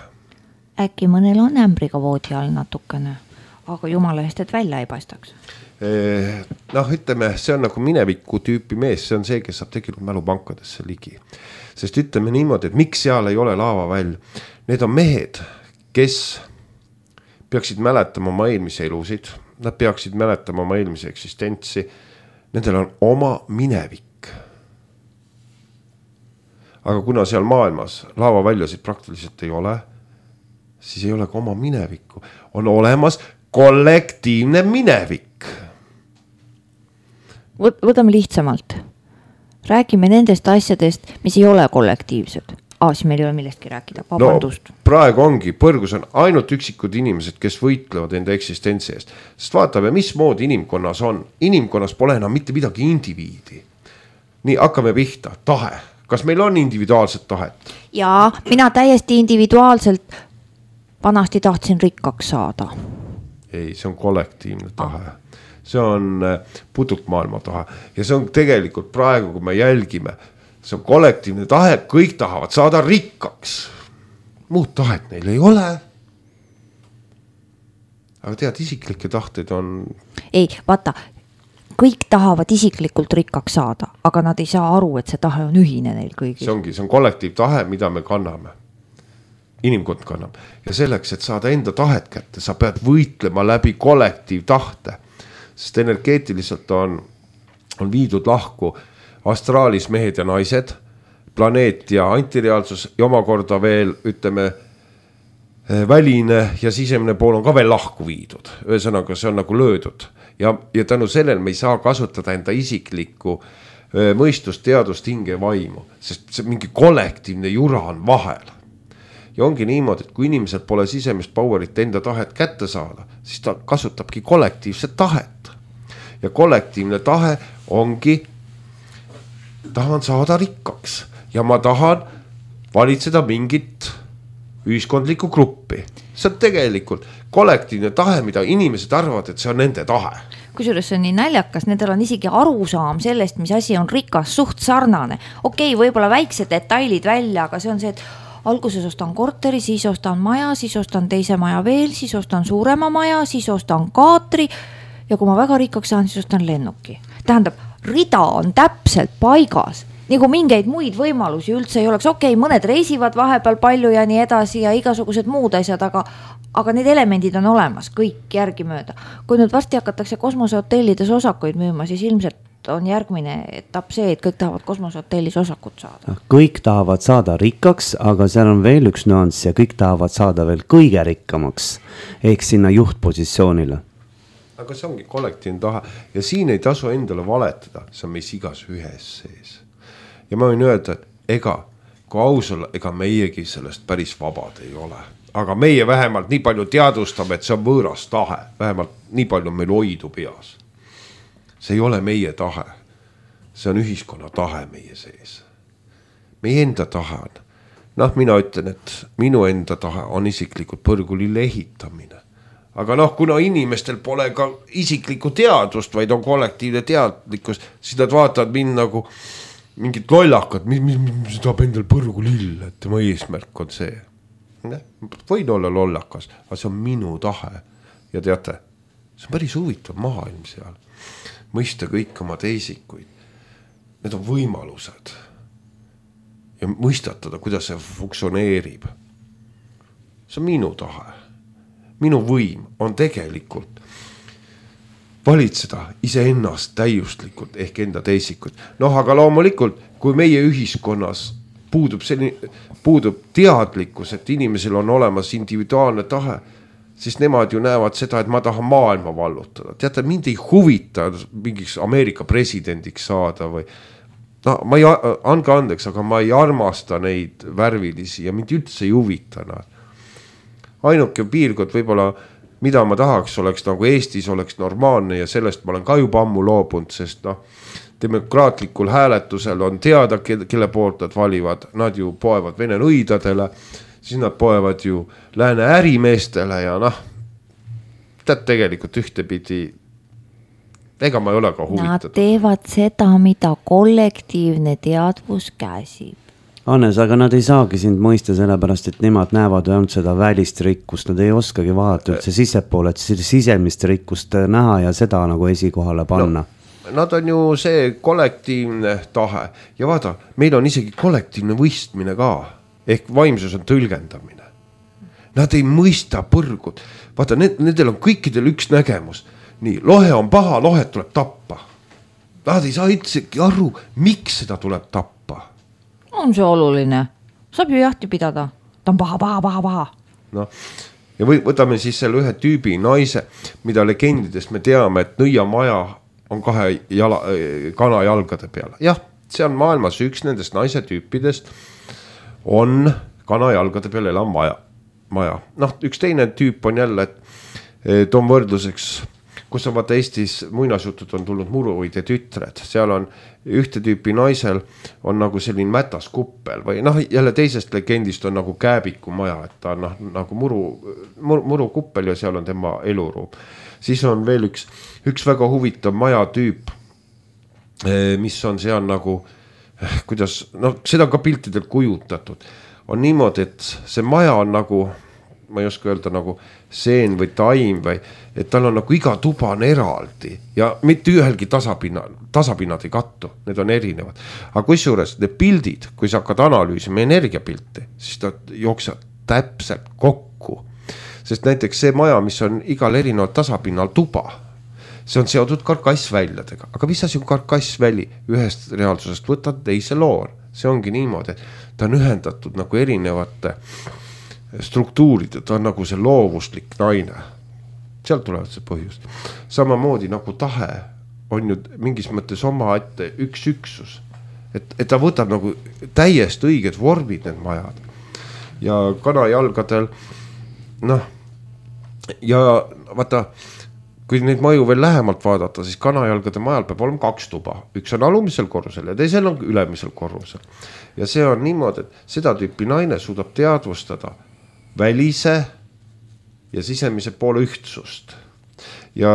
Äkki mõnel on ämbriga voodi all natukene, aga jumala eest, et välja ei paistaks. Noh, ütleme, see on nagu mineviku tüüpi mees, see on see, kes saab tegelikult mälupankadesse ligi. Sest ütleme niimoodi, et miks seal ei ole laavaväll. Need on mehed, kes peaksid mäletama oma eelmise elusid, nad peaksid mäletama oma eelmise eksistentsi, nendel on oma minevik. Aga kuna seal maailmas laavaväljasid praktiliselt ei ole, siis ei ole ka oma minevikku. On olemas kollektiivne minevik. Võtame lihtsamalt. Räägime nendest asjadest, mis ei ole kollektiivsed. Siis meil ei ole millestki rääkida, vabandust. No, praegu ongi, põrgus on ainult üksikud inimesed, kes võitlevad enda eksistentsi eest. Sest vaatame, mis moodi inimkonnas on. Inimkonnas pole enam mitte midagi indiviidi. Nii, hakkame pihta, tahe. Kas meil on individuaalset tahet? Jaa, mina täiesti individuaalselt vanasti tahtsin rikkaks saada. Ei, see on kollektiivne tahe. See on putukmaailma tahe. Ja see on tegelikult praegu, kui me jälgime, see on kollektiivne tahe, kõik tahavad saada rikkaks. Muud tahet neil ei ole. Aga tead, isiklikke tahteid on... Ei, vaata, kõik tahavad isiklikult rikkaks saada, aga nad ei saa aru, et see tahe on ühine neil kõigil. See on kollektiivtahe, mida me kanname. Inimkond kannab. Ja selleks, et saada enda tahet kätte, sa pead võitlema läbi kollektiivtahte. Sest energeetiliselt on viidud lahku astraalis mehed ja naised, planeet ja antireaalsus ja omakorda veel, ütleme, väline ja sisemine pool on ka veel lahku viidud. Ühesõnaga, see on nagu löödud. Ja tänu sellel me ei saa kasutada enda isiklikku mõistust, teadust, hinge, vaimu, sest see mingi kollektiivne jura on vahel. Ja ongi niimoodi, et kui inimesel pole sisemist powerit enda tahet kätte saada, siis ta kasutabki kollektiivset tahet. Ja kollektiivne tahe ongi, tahan saada rikkaks ja ma tahan valitseda mingit ühiskondlikku gruppi. See on tegelikult kollektiivne tahe, mida inimesed arvavad, et see on nende tahe. Kusjuures see on nii näljakas, nendel on isegi arusaam sellest, mis asi on rikas, suht sarnane. Okei, võib-olla väiksed detailid välja, aga see on see, et alguses ostan korteri, siis ostan maja, siis ostan teise maja veel, siis ostan suurema maja, siis ostan kaatri ja kui ma väga rikkaks saan, siis ostan lennuki. Tähendab, rida on täpselt paigas, nagu mingeid muid võimalusi üldse ei oleks. Okei, mõned reisivad vahepeal palju ja nii edasi ja igasugused muud asjad, aga need elemendid on olemas, kõik järgi mööda. Kui nüüd varsti hakatakse kosmosehotellides osakuid müüma, siis ilmselt on järgmine etapp see, et kõik tahavad kosmosehotellis osakut saada. Kõik tahavad saada rikkaks, aga seal on veel üks nüanss ja kõik tahavad saada veel kõige rikkamaks ehk sinna juhtpositsioonile. Aga see ongi kollektiivne tahe ja siin ei tasu endale valetada, see on meis igas ühes sees. Ja ma võin öelda, et kui aus olla, ega meiegi sellest päris vabad ei ole. Aga meie vähemalt nii palju teadvustame, et see on võõras tahe. Vähemalt nii palju meil hoidu peas. See ei ole meie tahe. See on ühiskonna tahe meie sees. Meie enda tahe on. Mina ütlen, et minu enda tahe on isiklikult põrgulille ehitamine. Aga kuna inimestel pole ka isiklikku teadvust, vaid on kollektiivne teadlikkus, siis nad vaatavad mind nagu mingit lollakad, mis tahab endal põrgulill, et tema eesmärk on see. Võin olla lollakas, aga see on minu tahe. Ja teate, see on päris huvitav maailm seal. Mõista kõik oma teisikuid. Need on võimalused. Ja mõistatada, kuidas see funktsioneerib. See on minu tahe. Minu võim on tegelikult valitseda iseennast täiuslikult ehk enda teisikud. Aga loomulikult, kui meie ühiskonnas puudub teadlikkus, et inimesel on olemas individuaalne tahe, siis nemad ju näevad seda, et ma tahan maailma vallutada. Teate, mind ei huvita mingiks Ameerika presidendiks saada või ma ei, andke andeks, aga ma ei armasta neid värvilisi ja mind üldse ei huvita nad. Ainuke piirkond võib-olla, mida ma tahaks, oleks nagu Eestis oleks normaalne ja sellest ma olen ka juba ammu loobunud, sest demokraatlikul hääletusel on teada, kelle poolt nad valivad. Nad ju poevad Vene nõidadele, siis nad poevad ju lääne ärimeestele ja tegelikult ühtepidi, ega ma ei ole ka huvitatud. Nad teevad seda, mida kollektiivne teadvus käsib. Hannes, aga nad ei saagi sind mõista sellepärast, et nemad näevad ainult seda välist rikkust, nad ei oskagi vaadata üldse sissepoole, et sisemist rikkust näha ja seda nagu esikohale panna. Nad on ju see kollektiivne tahe ja vaada, meil on isegi kollektiivne võistmine ka, ehk vaimsus on tõlgendamine. Nad ei mõista põrgud, vaata, nendel on kõikidel üks nägemus. Nii, lohe on paha, lohet tuleb tappa. Nad ei saa üldsegi aru, miks seda tuleb tappa. On see oluline, saab ju jahti pidada, ta on paha. Ja võtame siis selle ühe tüübi naise, mida legendidest me teame, et nõiamaja on kana jalgade peal. Jah, see on maailmas üks nendest naise tüüpidest, on kana jalgade peal elav maja. Üks teine tüüp on jälle, et on võrdluseks, kus on vaata Eestis muinasjutud on tulnud Muruide tütred. Seal on ühte tüüpi naisel on nagu selline mätas kuppel või jälle teisest legendist on nagu Kääbiku maja, et ta on nagu muru kuppel ja seal on tema eluruum. Siis on veel üks väga huvitav maja tüüp, mis on seal nagu, kuidas, seda on ka piltidel kujutatud. On niimoodi, et see maja on nagu, ma ei oska öelda nagu seen või taim või, et tal on nagu iga tuba on eraldi ja mitte ühelgi tasapinnad ei kattu, need on erinevad. Aga kusjuures need pildid, kui sa hakkad analüüsima energiapilti, siis ta jookseb täpselt kokku. Sest näiteks see maja, mis on igal erineval tasapinnal tuba, see on seotud karkassväljadega. Aga mis asi on karkassväli? Ühest reaalsusest võtad teise loor. See ongi niimoodi, et ta on ühendatud nagu erinevate struktuurid, ta on nagu see loovuslik naine. Sealt tulevad see põhjus. Samamoodi nagu tahe on ju mingis mõttes oma ette üks üksus. Et ta võtab nagu täiesti õiged vormid need majad. Ja kanajalgadel, ja vaata, kui neid maju veel lähemalt vaadata, siis kanajalgade majal peab olema 2 tuba. Üks on alumisel korrusel ja teisel on ülemisel korrusel. Ja see on niimoodi, et seda tüüpi naine suudab teadvustada välise ja sisemise poole ühtsust. Ja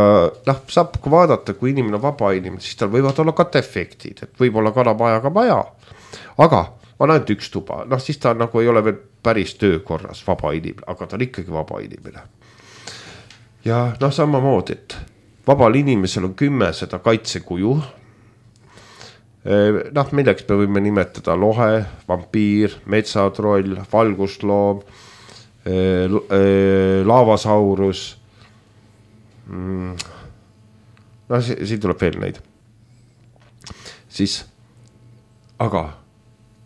saab vaadata, kui inimene on vaba inimene, siis tal võivad olla katefektid, et võib olla kanapajaga maja, aga on ainult 1 tuba, siis ta nagu ei ole veel päris töökorras vaba inimene, aga ta on ikkagi vaba inimene. Ja samamoodi, et vabal inimesel on 10 seda kaitsekuju. Milleks me võime nimetada lohe, vampiir, metsatroll, valgustloom, laavasaurus. Siin tuleb veel neid. siis aga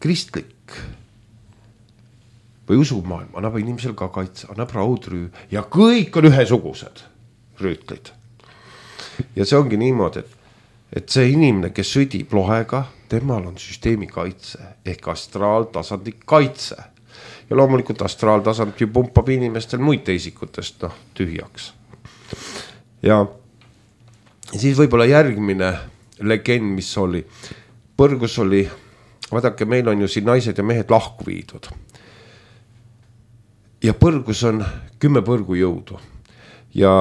kristlik või usumaailm annab inimesel ka kaitse, annab raudrüü ja kõik on ühesugused rüütlid. Ja see ongi niimoodi, et see inimene, kes sõdib lohega, temal on süsteemi kaitse ehk astraaltasandi kaitse. Ja loomulikult astraaltasand ju pumpab inimestel muid teisikutest tühjaks. Ja siis võib-olla järgmine legend, mis oli. Põrgus oli, vaadake, meil on ju siin naised ja mehed lahku viidud. Ja põrgus on 10 põrgujõudu. Ja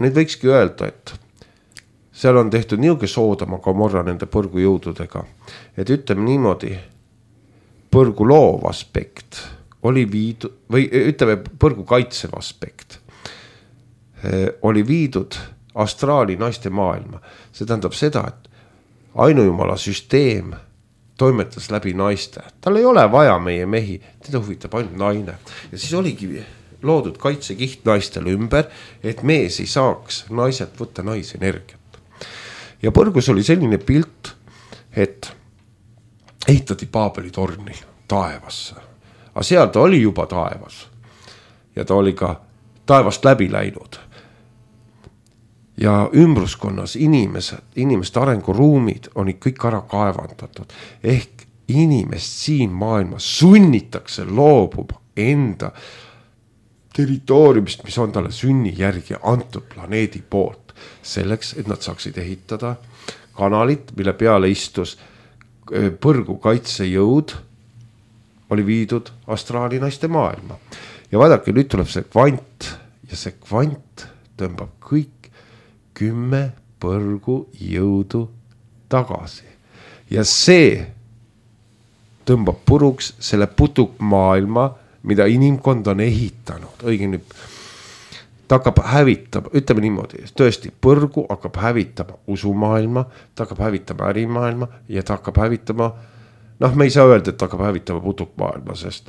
need võikski öelda, et seal on tehtud niuke Soodoma Gomorra nende põrgujõududega. Et ütleme niimoodi, põrgu loov aspekt oli viidud, või ütleme põrgu kaitsev aspekt oli viidud astraali naiste maailma. See tähendab seda, et ainujumala süsteem toimetas läbi naiste. Tal ei ole vaja meie mehi, teda huvitab ainult naine. Ja siis oligi loodud kaitsekiht naistele ümber, et mees ei saaks naiselt võtta naisenergiat. Ja põrgus oli selline pilt, et ehitati Paabeli torni taevasse. Aga seal ta oli juba taevas. Ja ta oli ka taevast läbi läinud. Ja ümbruskonnas inimeste arenguruumid on kõik ära kaevandatud. Ehk inimest siin maailmas sunnitakse loobuma enda territooriumist, mis on talle sünni järgi antud planeedi poolt. Selleks, et nad saaksid ehitada kanalit, mille peale istus põrgu kaitsejõud, oli viidud astraali naiste maailma. Ja vaadake, nüüd tuleb see kvant ja see kvant tõmbab kõik 10 põrgu jõudu tagasi. Ja see tõmbab puruks selle putukmaailma, mida inimkond on ehitanud. Õigemini, ta hakkab hävitama, ütleme niimoodi, tõesti, põrgu hakkab hävitama usumaailma, ta hakkab hävitama ärimaailma ja ta hakkab hävitama, me ei saa öelda, et ta hakkab hävitama putukmaailma, sest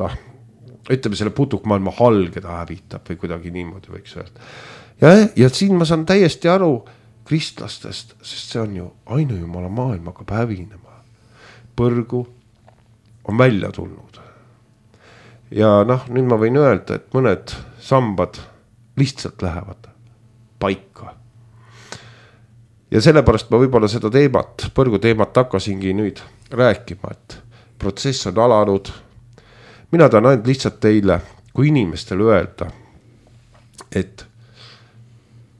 ütleme selle putukmaailma halge ta hävitab või kuidagi niimoodi võiks öelda. Ja siin ma saan täiesti aru kristlastest, sest see on ju ainujumala maailm hakkab hävinema. Põrgu on välja tulnud. Ja nüüd ma võin öelda, et mõned sambad lihtsalt lähevad paika. Ja sellepärast ma võib-olla seda teemat, põrgu teemat hakkasingi nüüd rääkima, et protsess on alanud. Mina tahan ainult lihtsalt teile kui inimestele öelda, et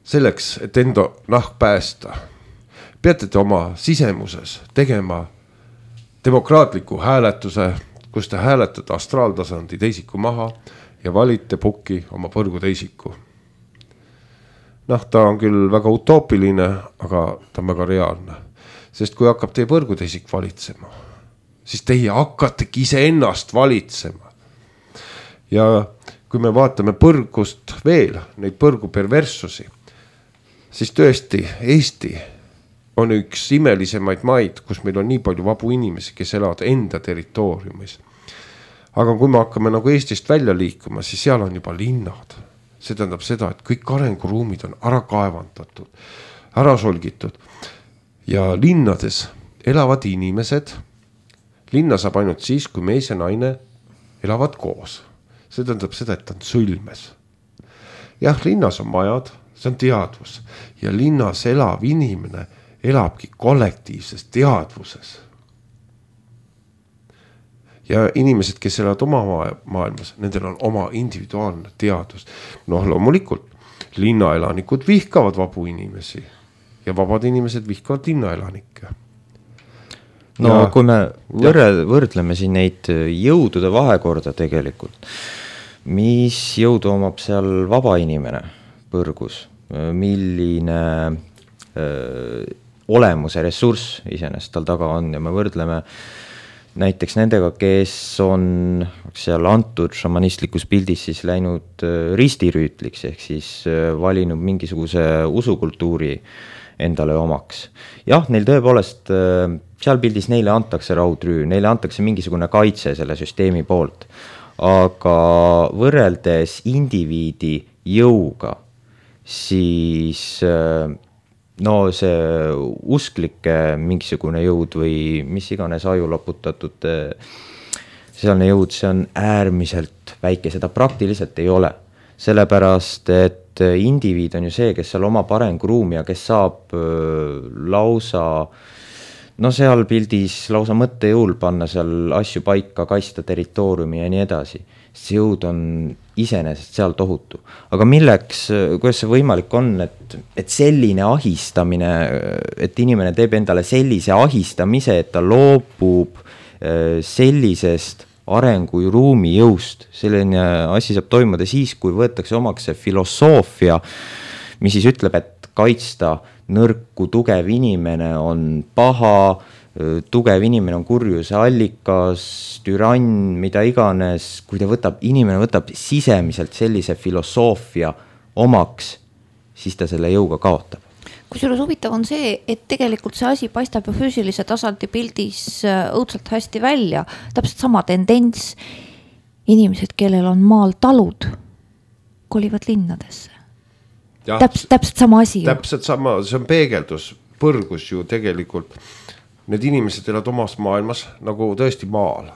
selleks, et enda nahk päästa, peate te oma sisemuses tegema demokraatliku hääletuse, kus te hääletate astraaltasandi teisiku maha ja valite pukki oma põrgu teisiku. Ta on küll väga utoopiline, aga ta on väga reaalne. Sest kui hakkab teie põrgu teisik valitsema, siis teie hakkategi iseennast valitsema. Ja kui me vaatame põrgust veel, neid põrgu perverssusi, siis tõesti Eesti on üks imelisemaid maid, kus meil on nii palju vabu inimesi, kes elavad enda territooriumis. Aga kui me hakkame nagu Eestist välja liikuma, siis seal on juba linnad. See tähendab seda, et kõik arenguruumid on ära kaevandatud, ära solgitud. Ja linnades elavad inimesed, linna saab ainult siis, kui mees ja naine elavad koos. See tähendab seda, et on sõlmes. Jah, linnas on majad, see on teadvus. Ja linnas elav inimene elabki kollektiivses teadvuses. Ja inimesed, kes elavad oma maailmas, nendel on oma individuaalne teadvus. Loomulikult, linnaelanikud vihkavad vabu inimesi ja vabad inimesed vihkavad linnaelanikke. Kui me võrdleme siin neid jõudude vahekorda tegelikult, mis jõudu omab seal vaba inimene põrgus, milline olemuse ressurss iseenesest tal taga on ja me võrdleme näiteks nendega, kes on seal antud šamanistlikus pildis siis läinud ristirüütliks ehk siis valinud mingisuguse usukultuuri endale omaks. Jah, neil tõepoolest seal pildis neile antakse raudrüü, neile antakse mingisugune kaitse selle süsteemi poolt, aga võrreldes indiviidi jõuga, siis no see usklike mingisugune jõud või mis iganes aju loputatud sealne jõud, see on äärmiselt väike, seda praktiliselt ei ole. Sellepärast, et indiviid on ju see, kes seal omab arenguruumi ja kes saab lausa, no seal pildis lausa mõttejõul panna seal asju paika, kaitsta territooriumi ja nii edasi. See jõud on iseenesest seal tohutu. Aga milleks, kuidas see võimalik on, et selline ahistamine, et inimene teeb endale sellise ahistamise, et ta loobub sellisest arenguruumi jõust. Selline asi saab toimuda siis, kui võetakse omaks see filosoofia, mis siis ütleb, et kaitsta nõrku, tugev inimene on paha, tugev inimene on kurjuse allikas, türann, mida iganes. Kui inimene võtab sisemiselt sellise filosoofia omaks, siis ta selle jõuga kaotab. Kusjuures huvitav on see, et tegelikult see asi paistab ju füüsilise tasandi pildis õudselt hästi välja. Täpselt sama tendents. Inimesed, kellel on maal talud, kolivad linnadesse. Täpselt sama asi. Täpselt sama, see on peegeldus, põrgus ju tegelikult. Need inimesed elavad omas maailmas, nagu tõesti maal.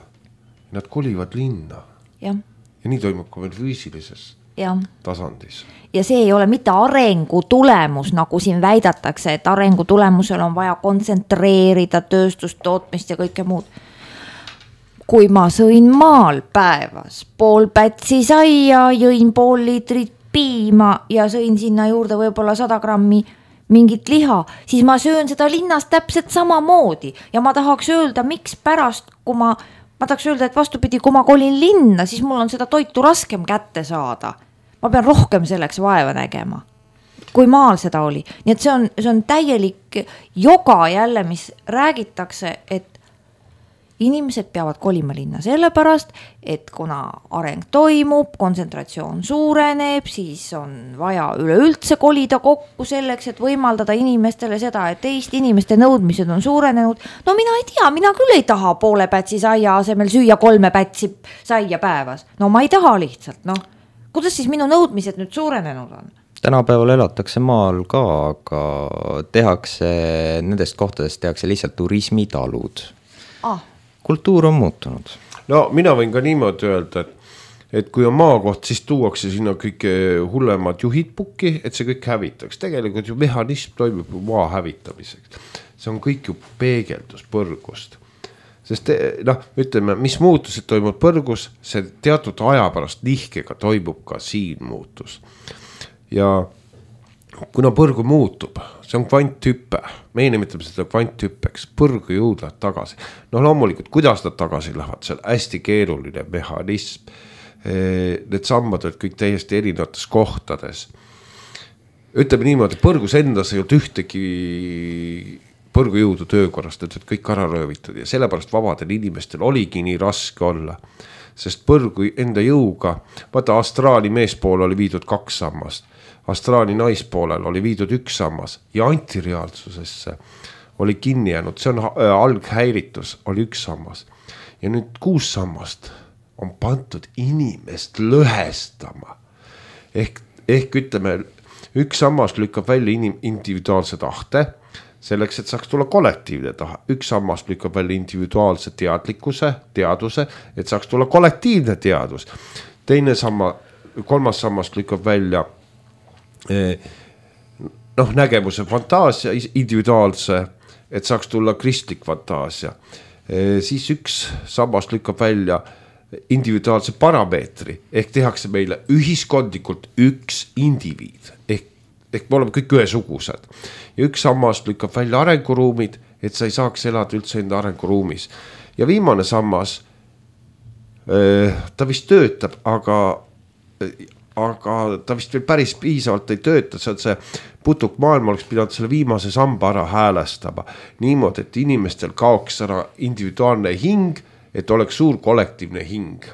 Nad kolivad linna. Ja nii toimub ka veel füüsilises tasandis. Ja see ei ole mitte arengu tulemus, nagu siin väidatakse, et arengu tulemusel on vaja kontsentreerida tööstustootmist ja kõike muud. Kui ma sõin maal päevas pool pätsi saia, jõin pool liitrit piima ja sõin sinna juurde võib-olla 100 grammi mingit liha, siis ma söön seda linnas täpselt samamoodi. Ja ma tahaks öelda, miks pärast, kui ma tahaks öelda, et vastupidi, kui ma kolin linna, siis mul on seda toitu raskem kätte saada. Ma pean rohkem selleks vaeva nägema, kui maal seda oli. Nii et see on täielik joga jälle, mis räägitakse, et inimesed peavad kolima linna sellepärast, et kuna areng toimub, kontsentratsioon suureneb, siis on vaja üleüldse kolida kokku selleks, et võimaldada inimestele seda, et teist inimeste nõudmised on suurenenud. No mina ei tea, mina küll ei taha poole pätsi saia asemel süüa 3 pätsi saia päevas. No ma ei taha lihtsalt, noh. Kuidas siis minu nõudmised nüüd suurenenud on? Tänapäeval elatakse maal ka, aga nendest kohtadest tehakse lihtsalt turismitalud. Kultuur on muutunud. No mina võin ka niimoodi öelda, et kui on maakoht, siis tuuakse sinna kõike hullemad juhid pukki, et see kõik hävitaks. Tegelikult ju mehhanism toimub maa hävitamiseks. See on kõik ju peegeldus põrgust. Sest ütleme, mis muutused toimub põrgus, see teatud aja pärast nihkega toimub ka siin muutus. Ja kuna põrgu muutub, see on kvanthüppe, meie nimetame seda kvanthüppeks, põrgu jõudlad tagasi. No loomulikult, kuidas nad tagasi lähevad, see on hästi keeruline mehhanism. Need sammad olid kõik täiesti erinevates kohtades. Ütleme niimoodi, põrgus endas ei olnud ühtegi põrgu jõudu töökorrast, et kõik ära röövitud ja sellepärast vabadel inimestel oligi nii raske olla. Sest põrgu enda jõuga, vaata astraali meespool oli viidud 2 sammast. Astraali naispoolel oli viidud 1 sammas ja antireaalsusesse oli kinni jäänud, see on alghäiritus, oli 1 sammas. Ja nüüd 6 sammast on pandud inimest lõhestama. Ehk ütleme, 1 sammas lükkab välja individuaalse tahte, selleks, et saaks tulla kollektiivne taha. 1 sammas lükkab välja individuaalse teaduse, et saaks tulla kollektiivne teadus. 3. sammas lükkab välja nägemuse fantaasia, individuaalse, et saaks tulla kristlik fantaasia. Siis 1 sammas lükkab välja individuaalse parameetri, ehk tehakse meile ühiskondlikult 1 indiviid, ehk me oleme kõik ühesugused. Ja 1 sammas lükkab välja arenguruumid, et sa ei saaks elada üldse enda arenguruumis. Ja viimane sammas, ta vist töötab, aga ta vist veel päris piisavalt ei tööta, see on see putuk maailma oleks pidanud selle viimase samba ära häälestama. Niimoodi, et inimestel kaoks ära individuaalne hing, et oleks suur kollektiivne hing.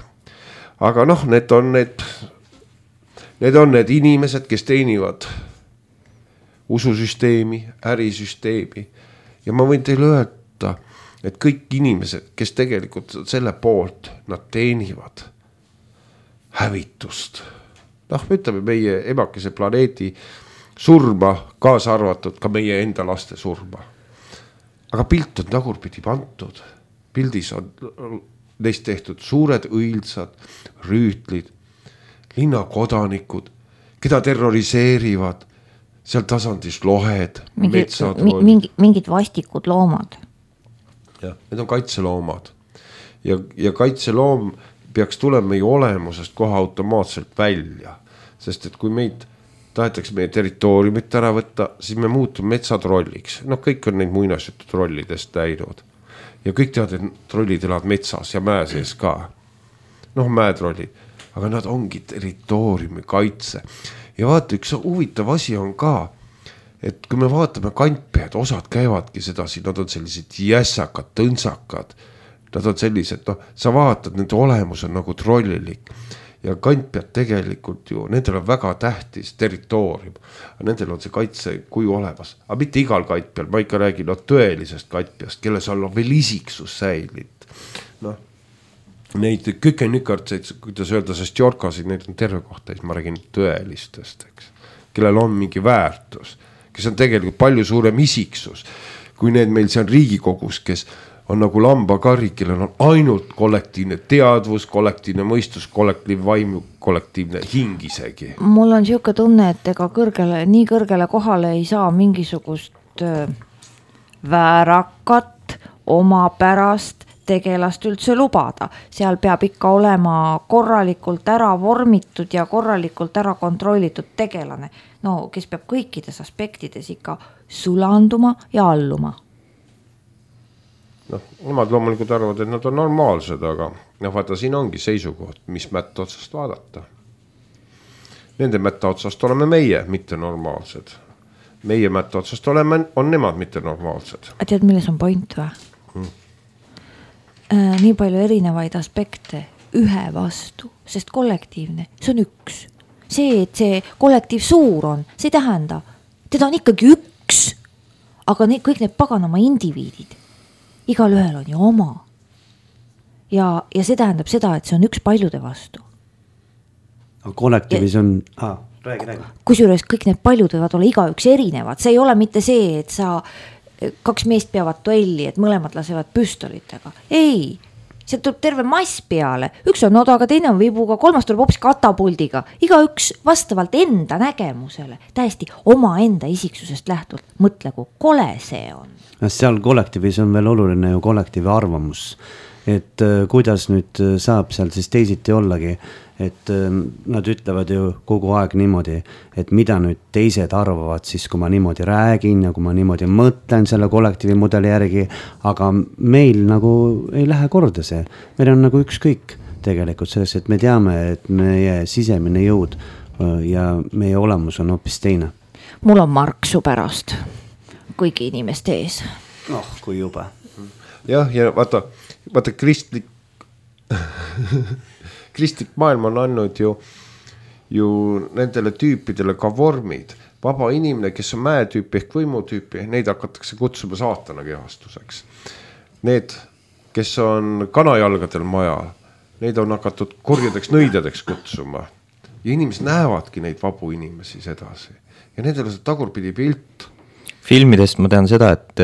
Aga need on need inimesed, kes teenivad ususüsteemi, ärisüsteemi. Ja ma võin teile öelda, et kõik inimesed, kes tegelikult selle poolt, nad teenivad hävitust. Ütleme meie emakese planeedi surma, kaasa arvatud ka meie enda laste surma. Aga pilt on tagurpidi pandud. Pildis on neist tehtud suured õilsad rüütlid, linnakodanikud, keda terroriseerivad seal tasandis lohed, metsatrollid. Mingid vastikud loomad. Ja, need on kaitseloomad. Ja kaitseloom peaks tulema meie olemusest kohe automaatselt välja. Sest et kui meid tahetakse meie territooriumit ära võtta, siis me muutume metsatrolliks. No kõik on neid muinasjutu trollidest näinud. Ja kõik teavad, et trollid elavad metsas ja mäe sees ka. Noh, mäetrollid. Aga nad ongi territooriumi kaitse. Ja vaata, üks huvitav asi on ka, et kui me vaatame kantpead, osad käivadki sedasi, nad on sellised jässakad, tõnsakad. Nad on sellised, sa vaatad, nende olemus on nagu trollilik. Ja kantpead tegelikult ju, nendel on väga tähtis territoorium. Nendel on see kaitse kuju olemas. Aga mitte igal kantpeal, ma ikka räägin tõelisest kantpeast, kelles on veel isiksus säilit. Neid kükenükartseid, kuidas öelda, sest jorkasid, neid on terve kohta, ma räägin tõelistest, eks, kellel on mingi väärtus, kes on tegelikult palju suurem isiksus, kui need meil seal Riigikogus, kes on nagu lambakari, kellel on ainult kollektiivne teadvus, kollektiivne mõistus, kollektiivne vaimu, kollektiivne hing isegi. Mul on siuke tunne, et ega nii kõrgele kohale ei saa mingisugust väärakat omapärast tegelast üldse lubada. Seal peab ikka olema korralikult ära vormitud ja korralikult ära kontrollitud tegelane. No, kes peab kõikides aspektides ikka sulanduma ja alluma. Nemad loomulikult arvavad, et nad on normaalsed, aga vaata, siin ongi seisukoht, mis mätta otsast vaadata. Nende mätta otsast oleme meie, mitte normaalsed. Meie mätta otsast on nemad, mitte normaalsed. A tead, milles on point või? Nii palju erinevaid aspekte ühe vastu, sest kollektiivne, see on üks. See, et see kollektiiv suur on, see tähenda, teda on ikkagi üks, aga kõik need paganama indiviidid, igal ühel on ju oma. Ja see tähendab seda, et see on üks paljude vastu. Kollektiivis on... räägi. Kusjuures kõik need paljud võivad olla iga üks erinevad, see ei ole mitte see, et sa... 2 meest peavad duelli, et mõlemad lasevad püstolitega. Ei, see tuleb terve mass peale. Üks on odaga, teine on vibuga, 3 tuleb hoopis katapuldiga. Iga üks vastavalt enda nägemusele, täiesti oma enda isiksusest lähtult. Mõtle, kui kole see on. Seal kollektiivis on veel oluline ju kollektiivi arvamus. Et kuidas nüüd saab seal siis teisiti ollagi, et nad ütlevad ju kogu aeg niimoodi, et mida nüüd teised arvavad siis, kui ma niimoodi räägin ja kui ma niimoodi mõtlen selle kollektiivi mudeli järgi, aga meil nagu ei lähe korda see. Meil on nagu ükskõik tegelikult selles, et me teame, et meie sisemine jõud ja meie olemus on hoopis teine. Mul on Marksu pärast kõigi inimeste ees. Kui jube. Jah, ja vaata kristlik maailm on andnud ju nendele tüüpidele ka vormid. Vaba inimene, kes on mäetüüpi ehk võimutüüpi, neid hakatakse kutsuma saatana kehastuseks. Need, kes on kanajalgadel majal, neid on hakatud korjadeks nõidjadeks kutsuma. Ja inimesed näevadki neid vabu inimesi sedasi. Ja nendel on see tagurpidi pilt. Filmidest ma tean seda, et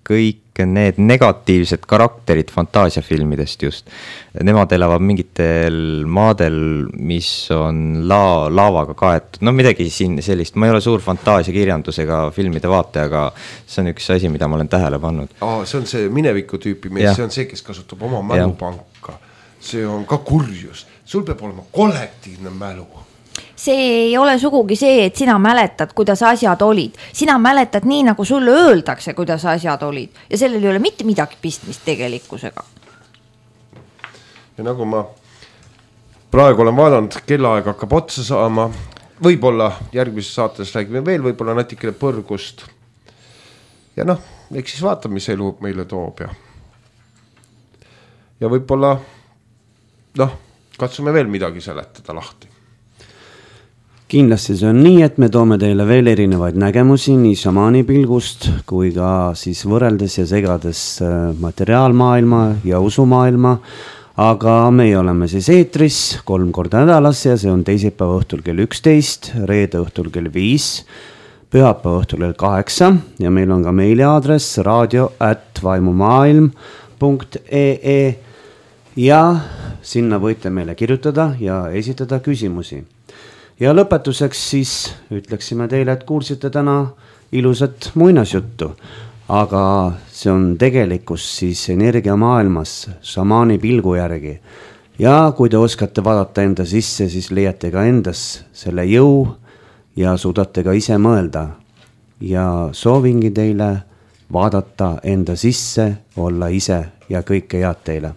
kõik need negatiivsed karakterid fantaasiafilmidest just, nemad elavad mingitel maadel, mis on laavaga kaetud. No midagi siin sellist, ma ei ole suur fantaasiakirjandusega filmide vaate, aga see on üks asi, mida ma olen tähele pannud. See on see mineviku tüüpi mees, see on see, kes kasutab oma mälupanka. See on ka kurjus. Sul peab olema kollektiivne mälu. See ei ole sugugi see, et sina mäletad, kuidas asjad olid. Sina mäletad nii, nagu sulle öeldakse, kuidas asjad olid. Ja sellel ei ole mitte midagi pistmist tegelikkusega. Ja nagu ma praegu olen vaadanud, kellaaeg hakkab otsa saama. Võib-olla järgmises saates räägime veel, võib-olla natikene põrgust. Ja eks siis vaata, mis elu meile toob. Ja võib-olla, katsume veel midagi seletada lahti. Kindlasti see on nii, et me toome teile veel erinevaid nägemusi nii šamaani pilgust kui ka siis võrreldes ja segades materiaalmaailma ja usumaailma. aga meie oleme siis eetris 3 korda nädalas ja see on teisipäeva õhtul kell 11, reede õhtul kell 5, pühapäeva õhtul kell 8 ja meil on ka meiliaadress radio@vaimumaailm.ee ja sinna võite meile kirjutada ja esitada küsimusi. Ja lõpetuseks siis ütleksime teile, et kuulsite täna ilusat muinasjuttu, aga see on tegelikkus siis energiamaailmas šamaani pilgu järgi. Ja kui te oskate vaadata enda sisse, siis leiate ka endas selle jõu ja suudate ka ise mõelda. Ja soovingi teile vaadata enda sisse, olla ise ja kõike head teile.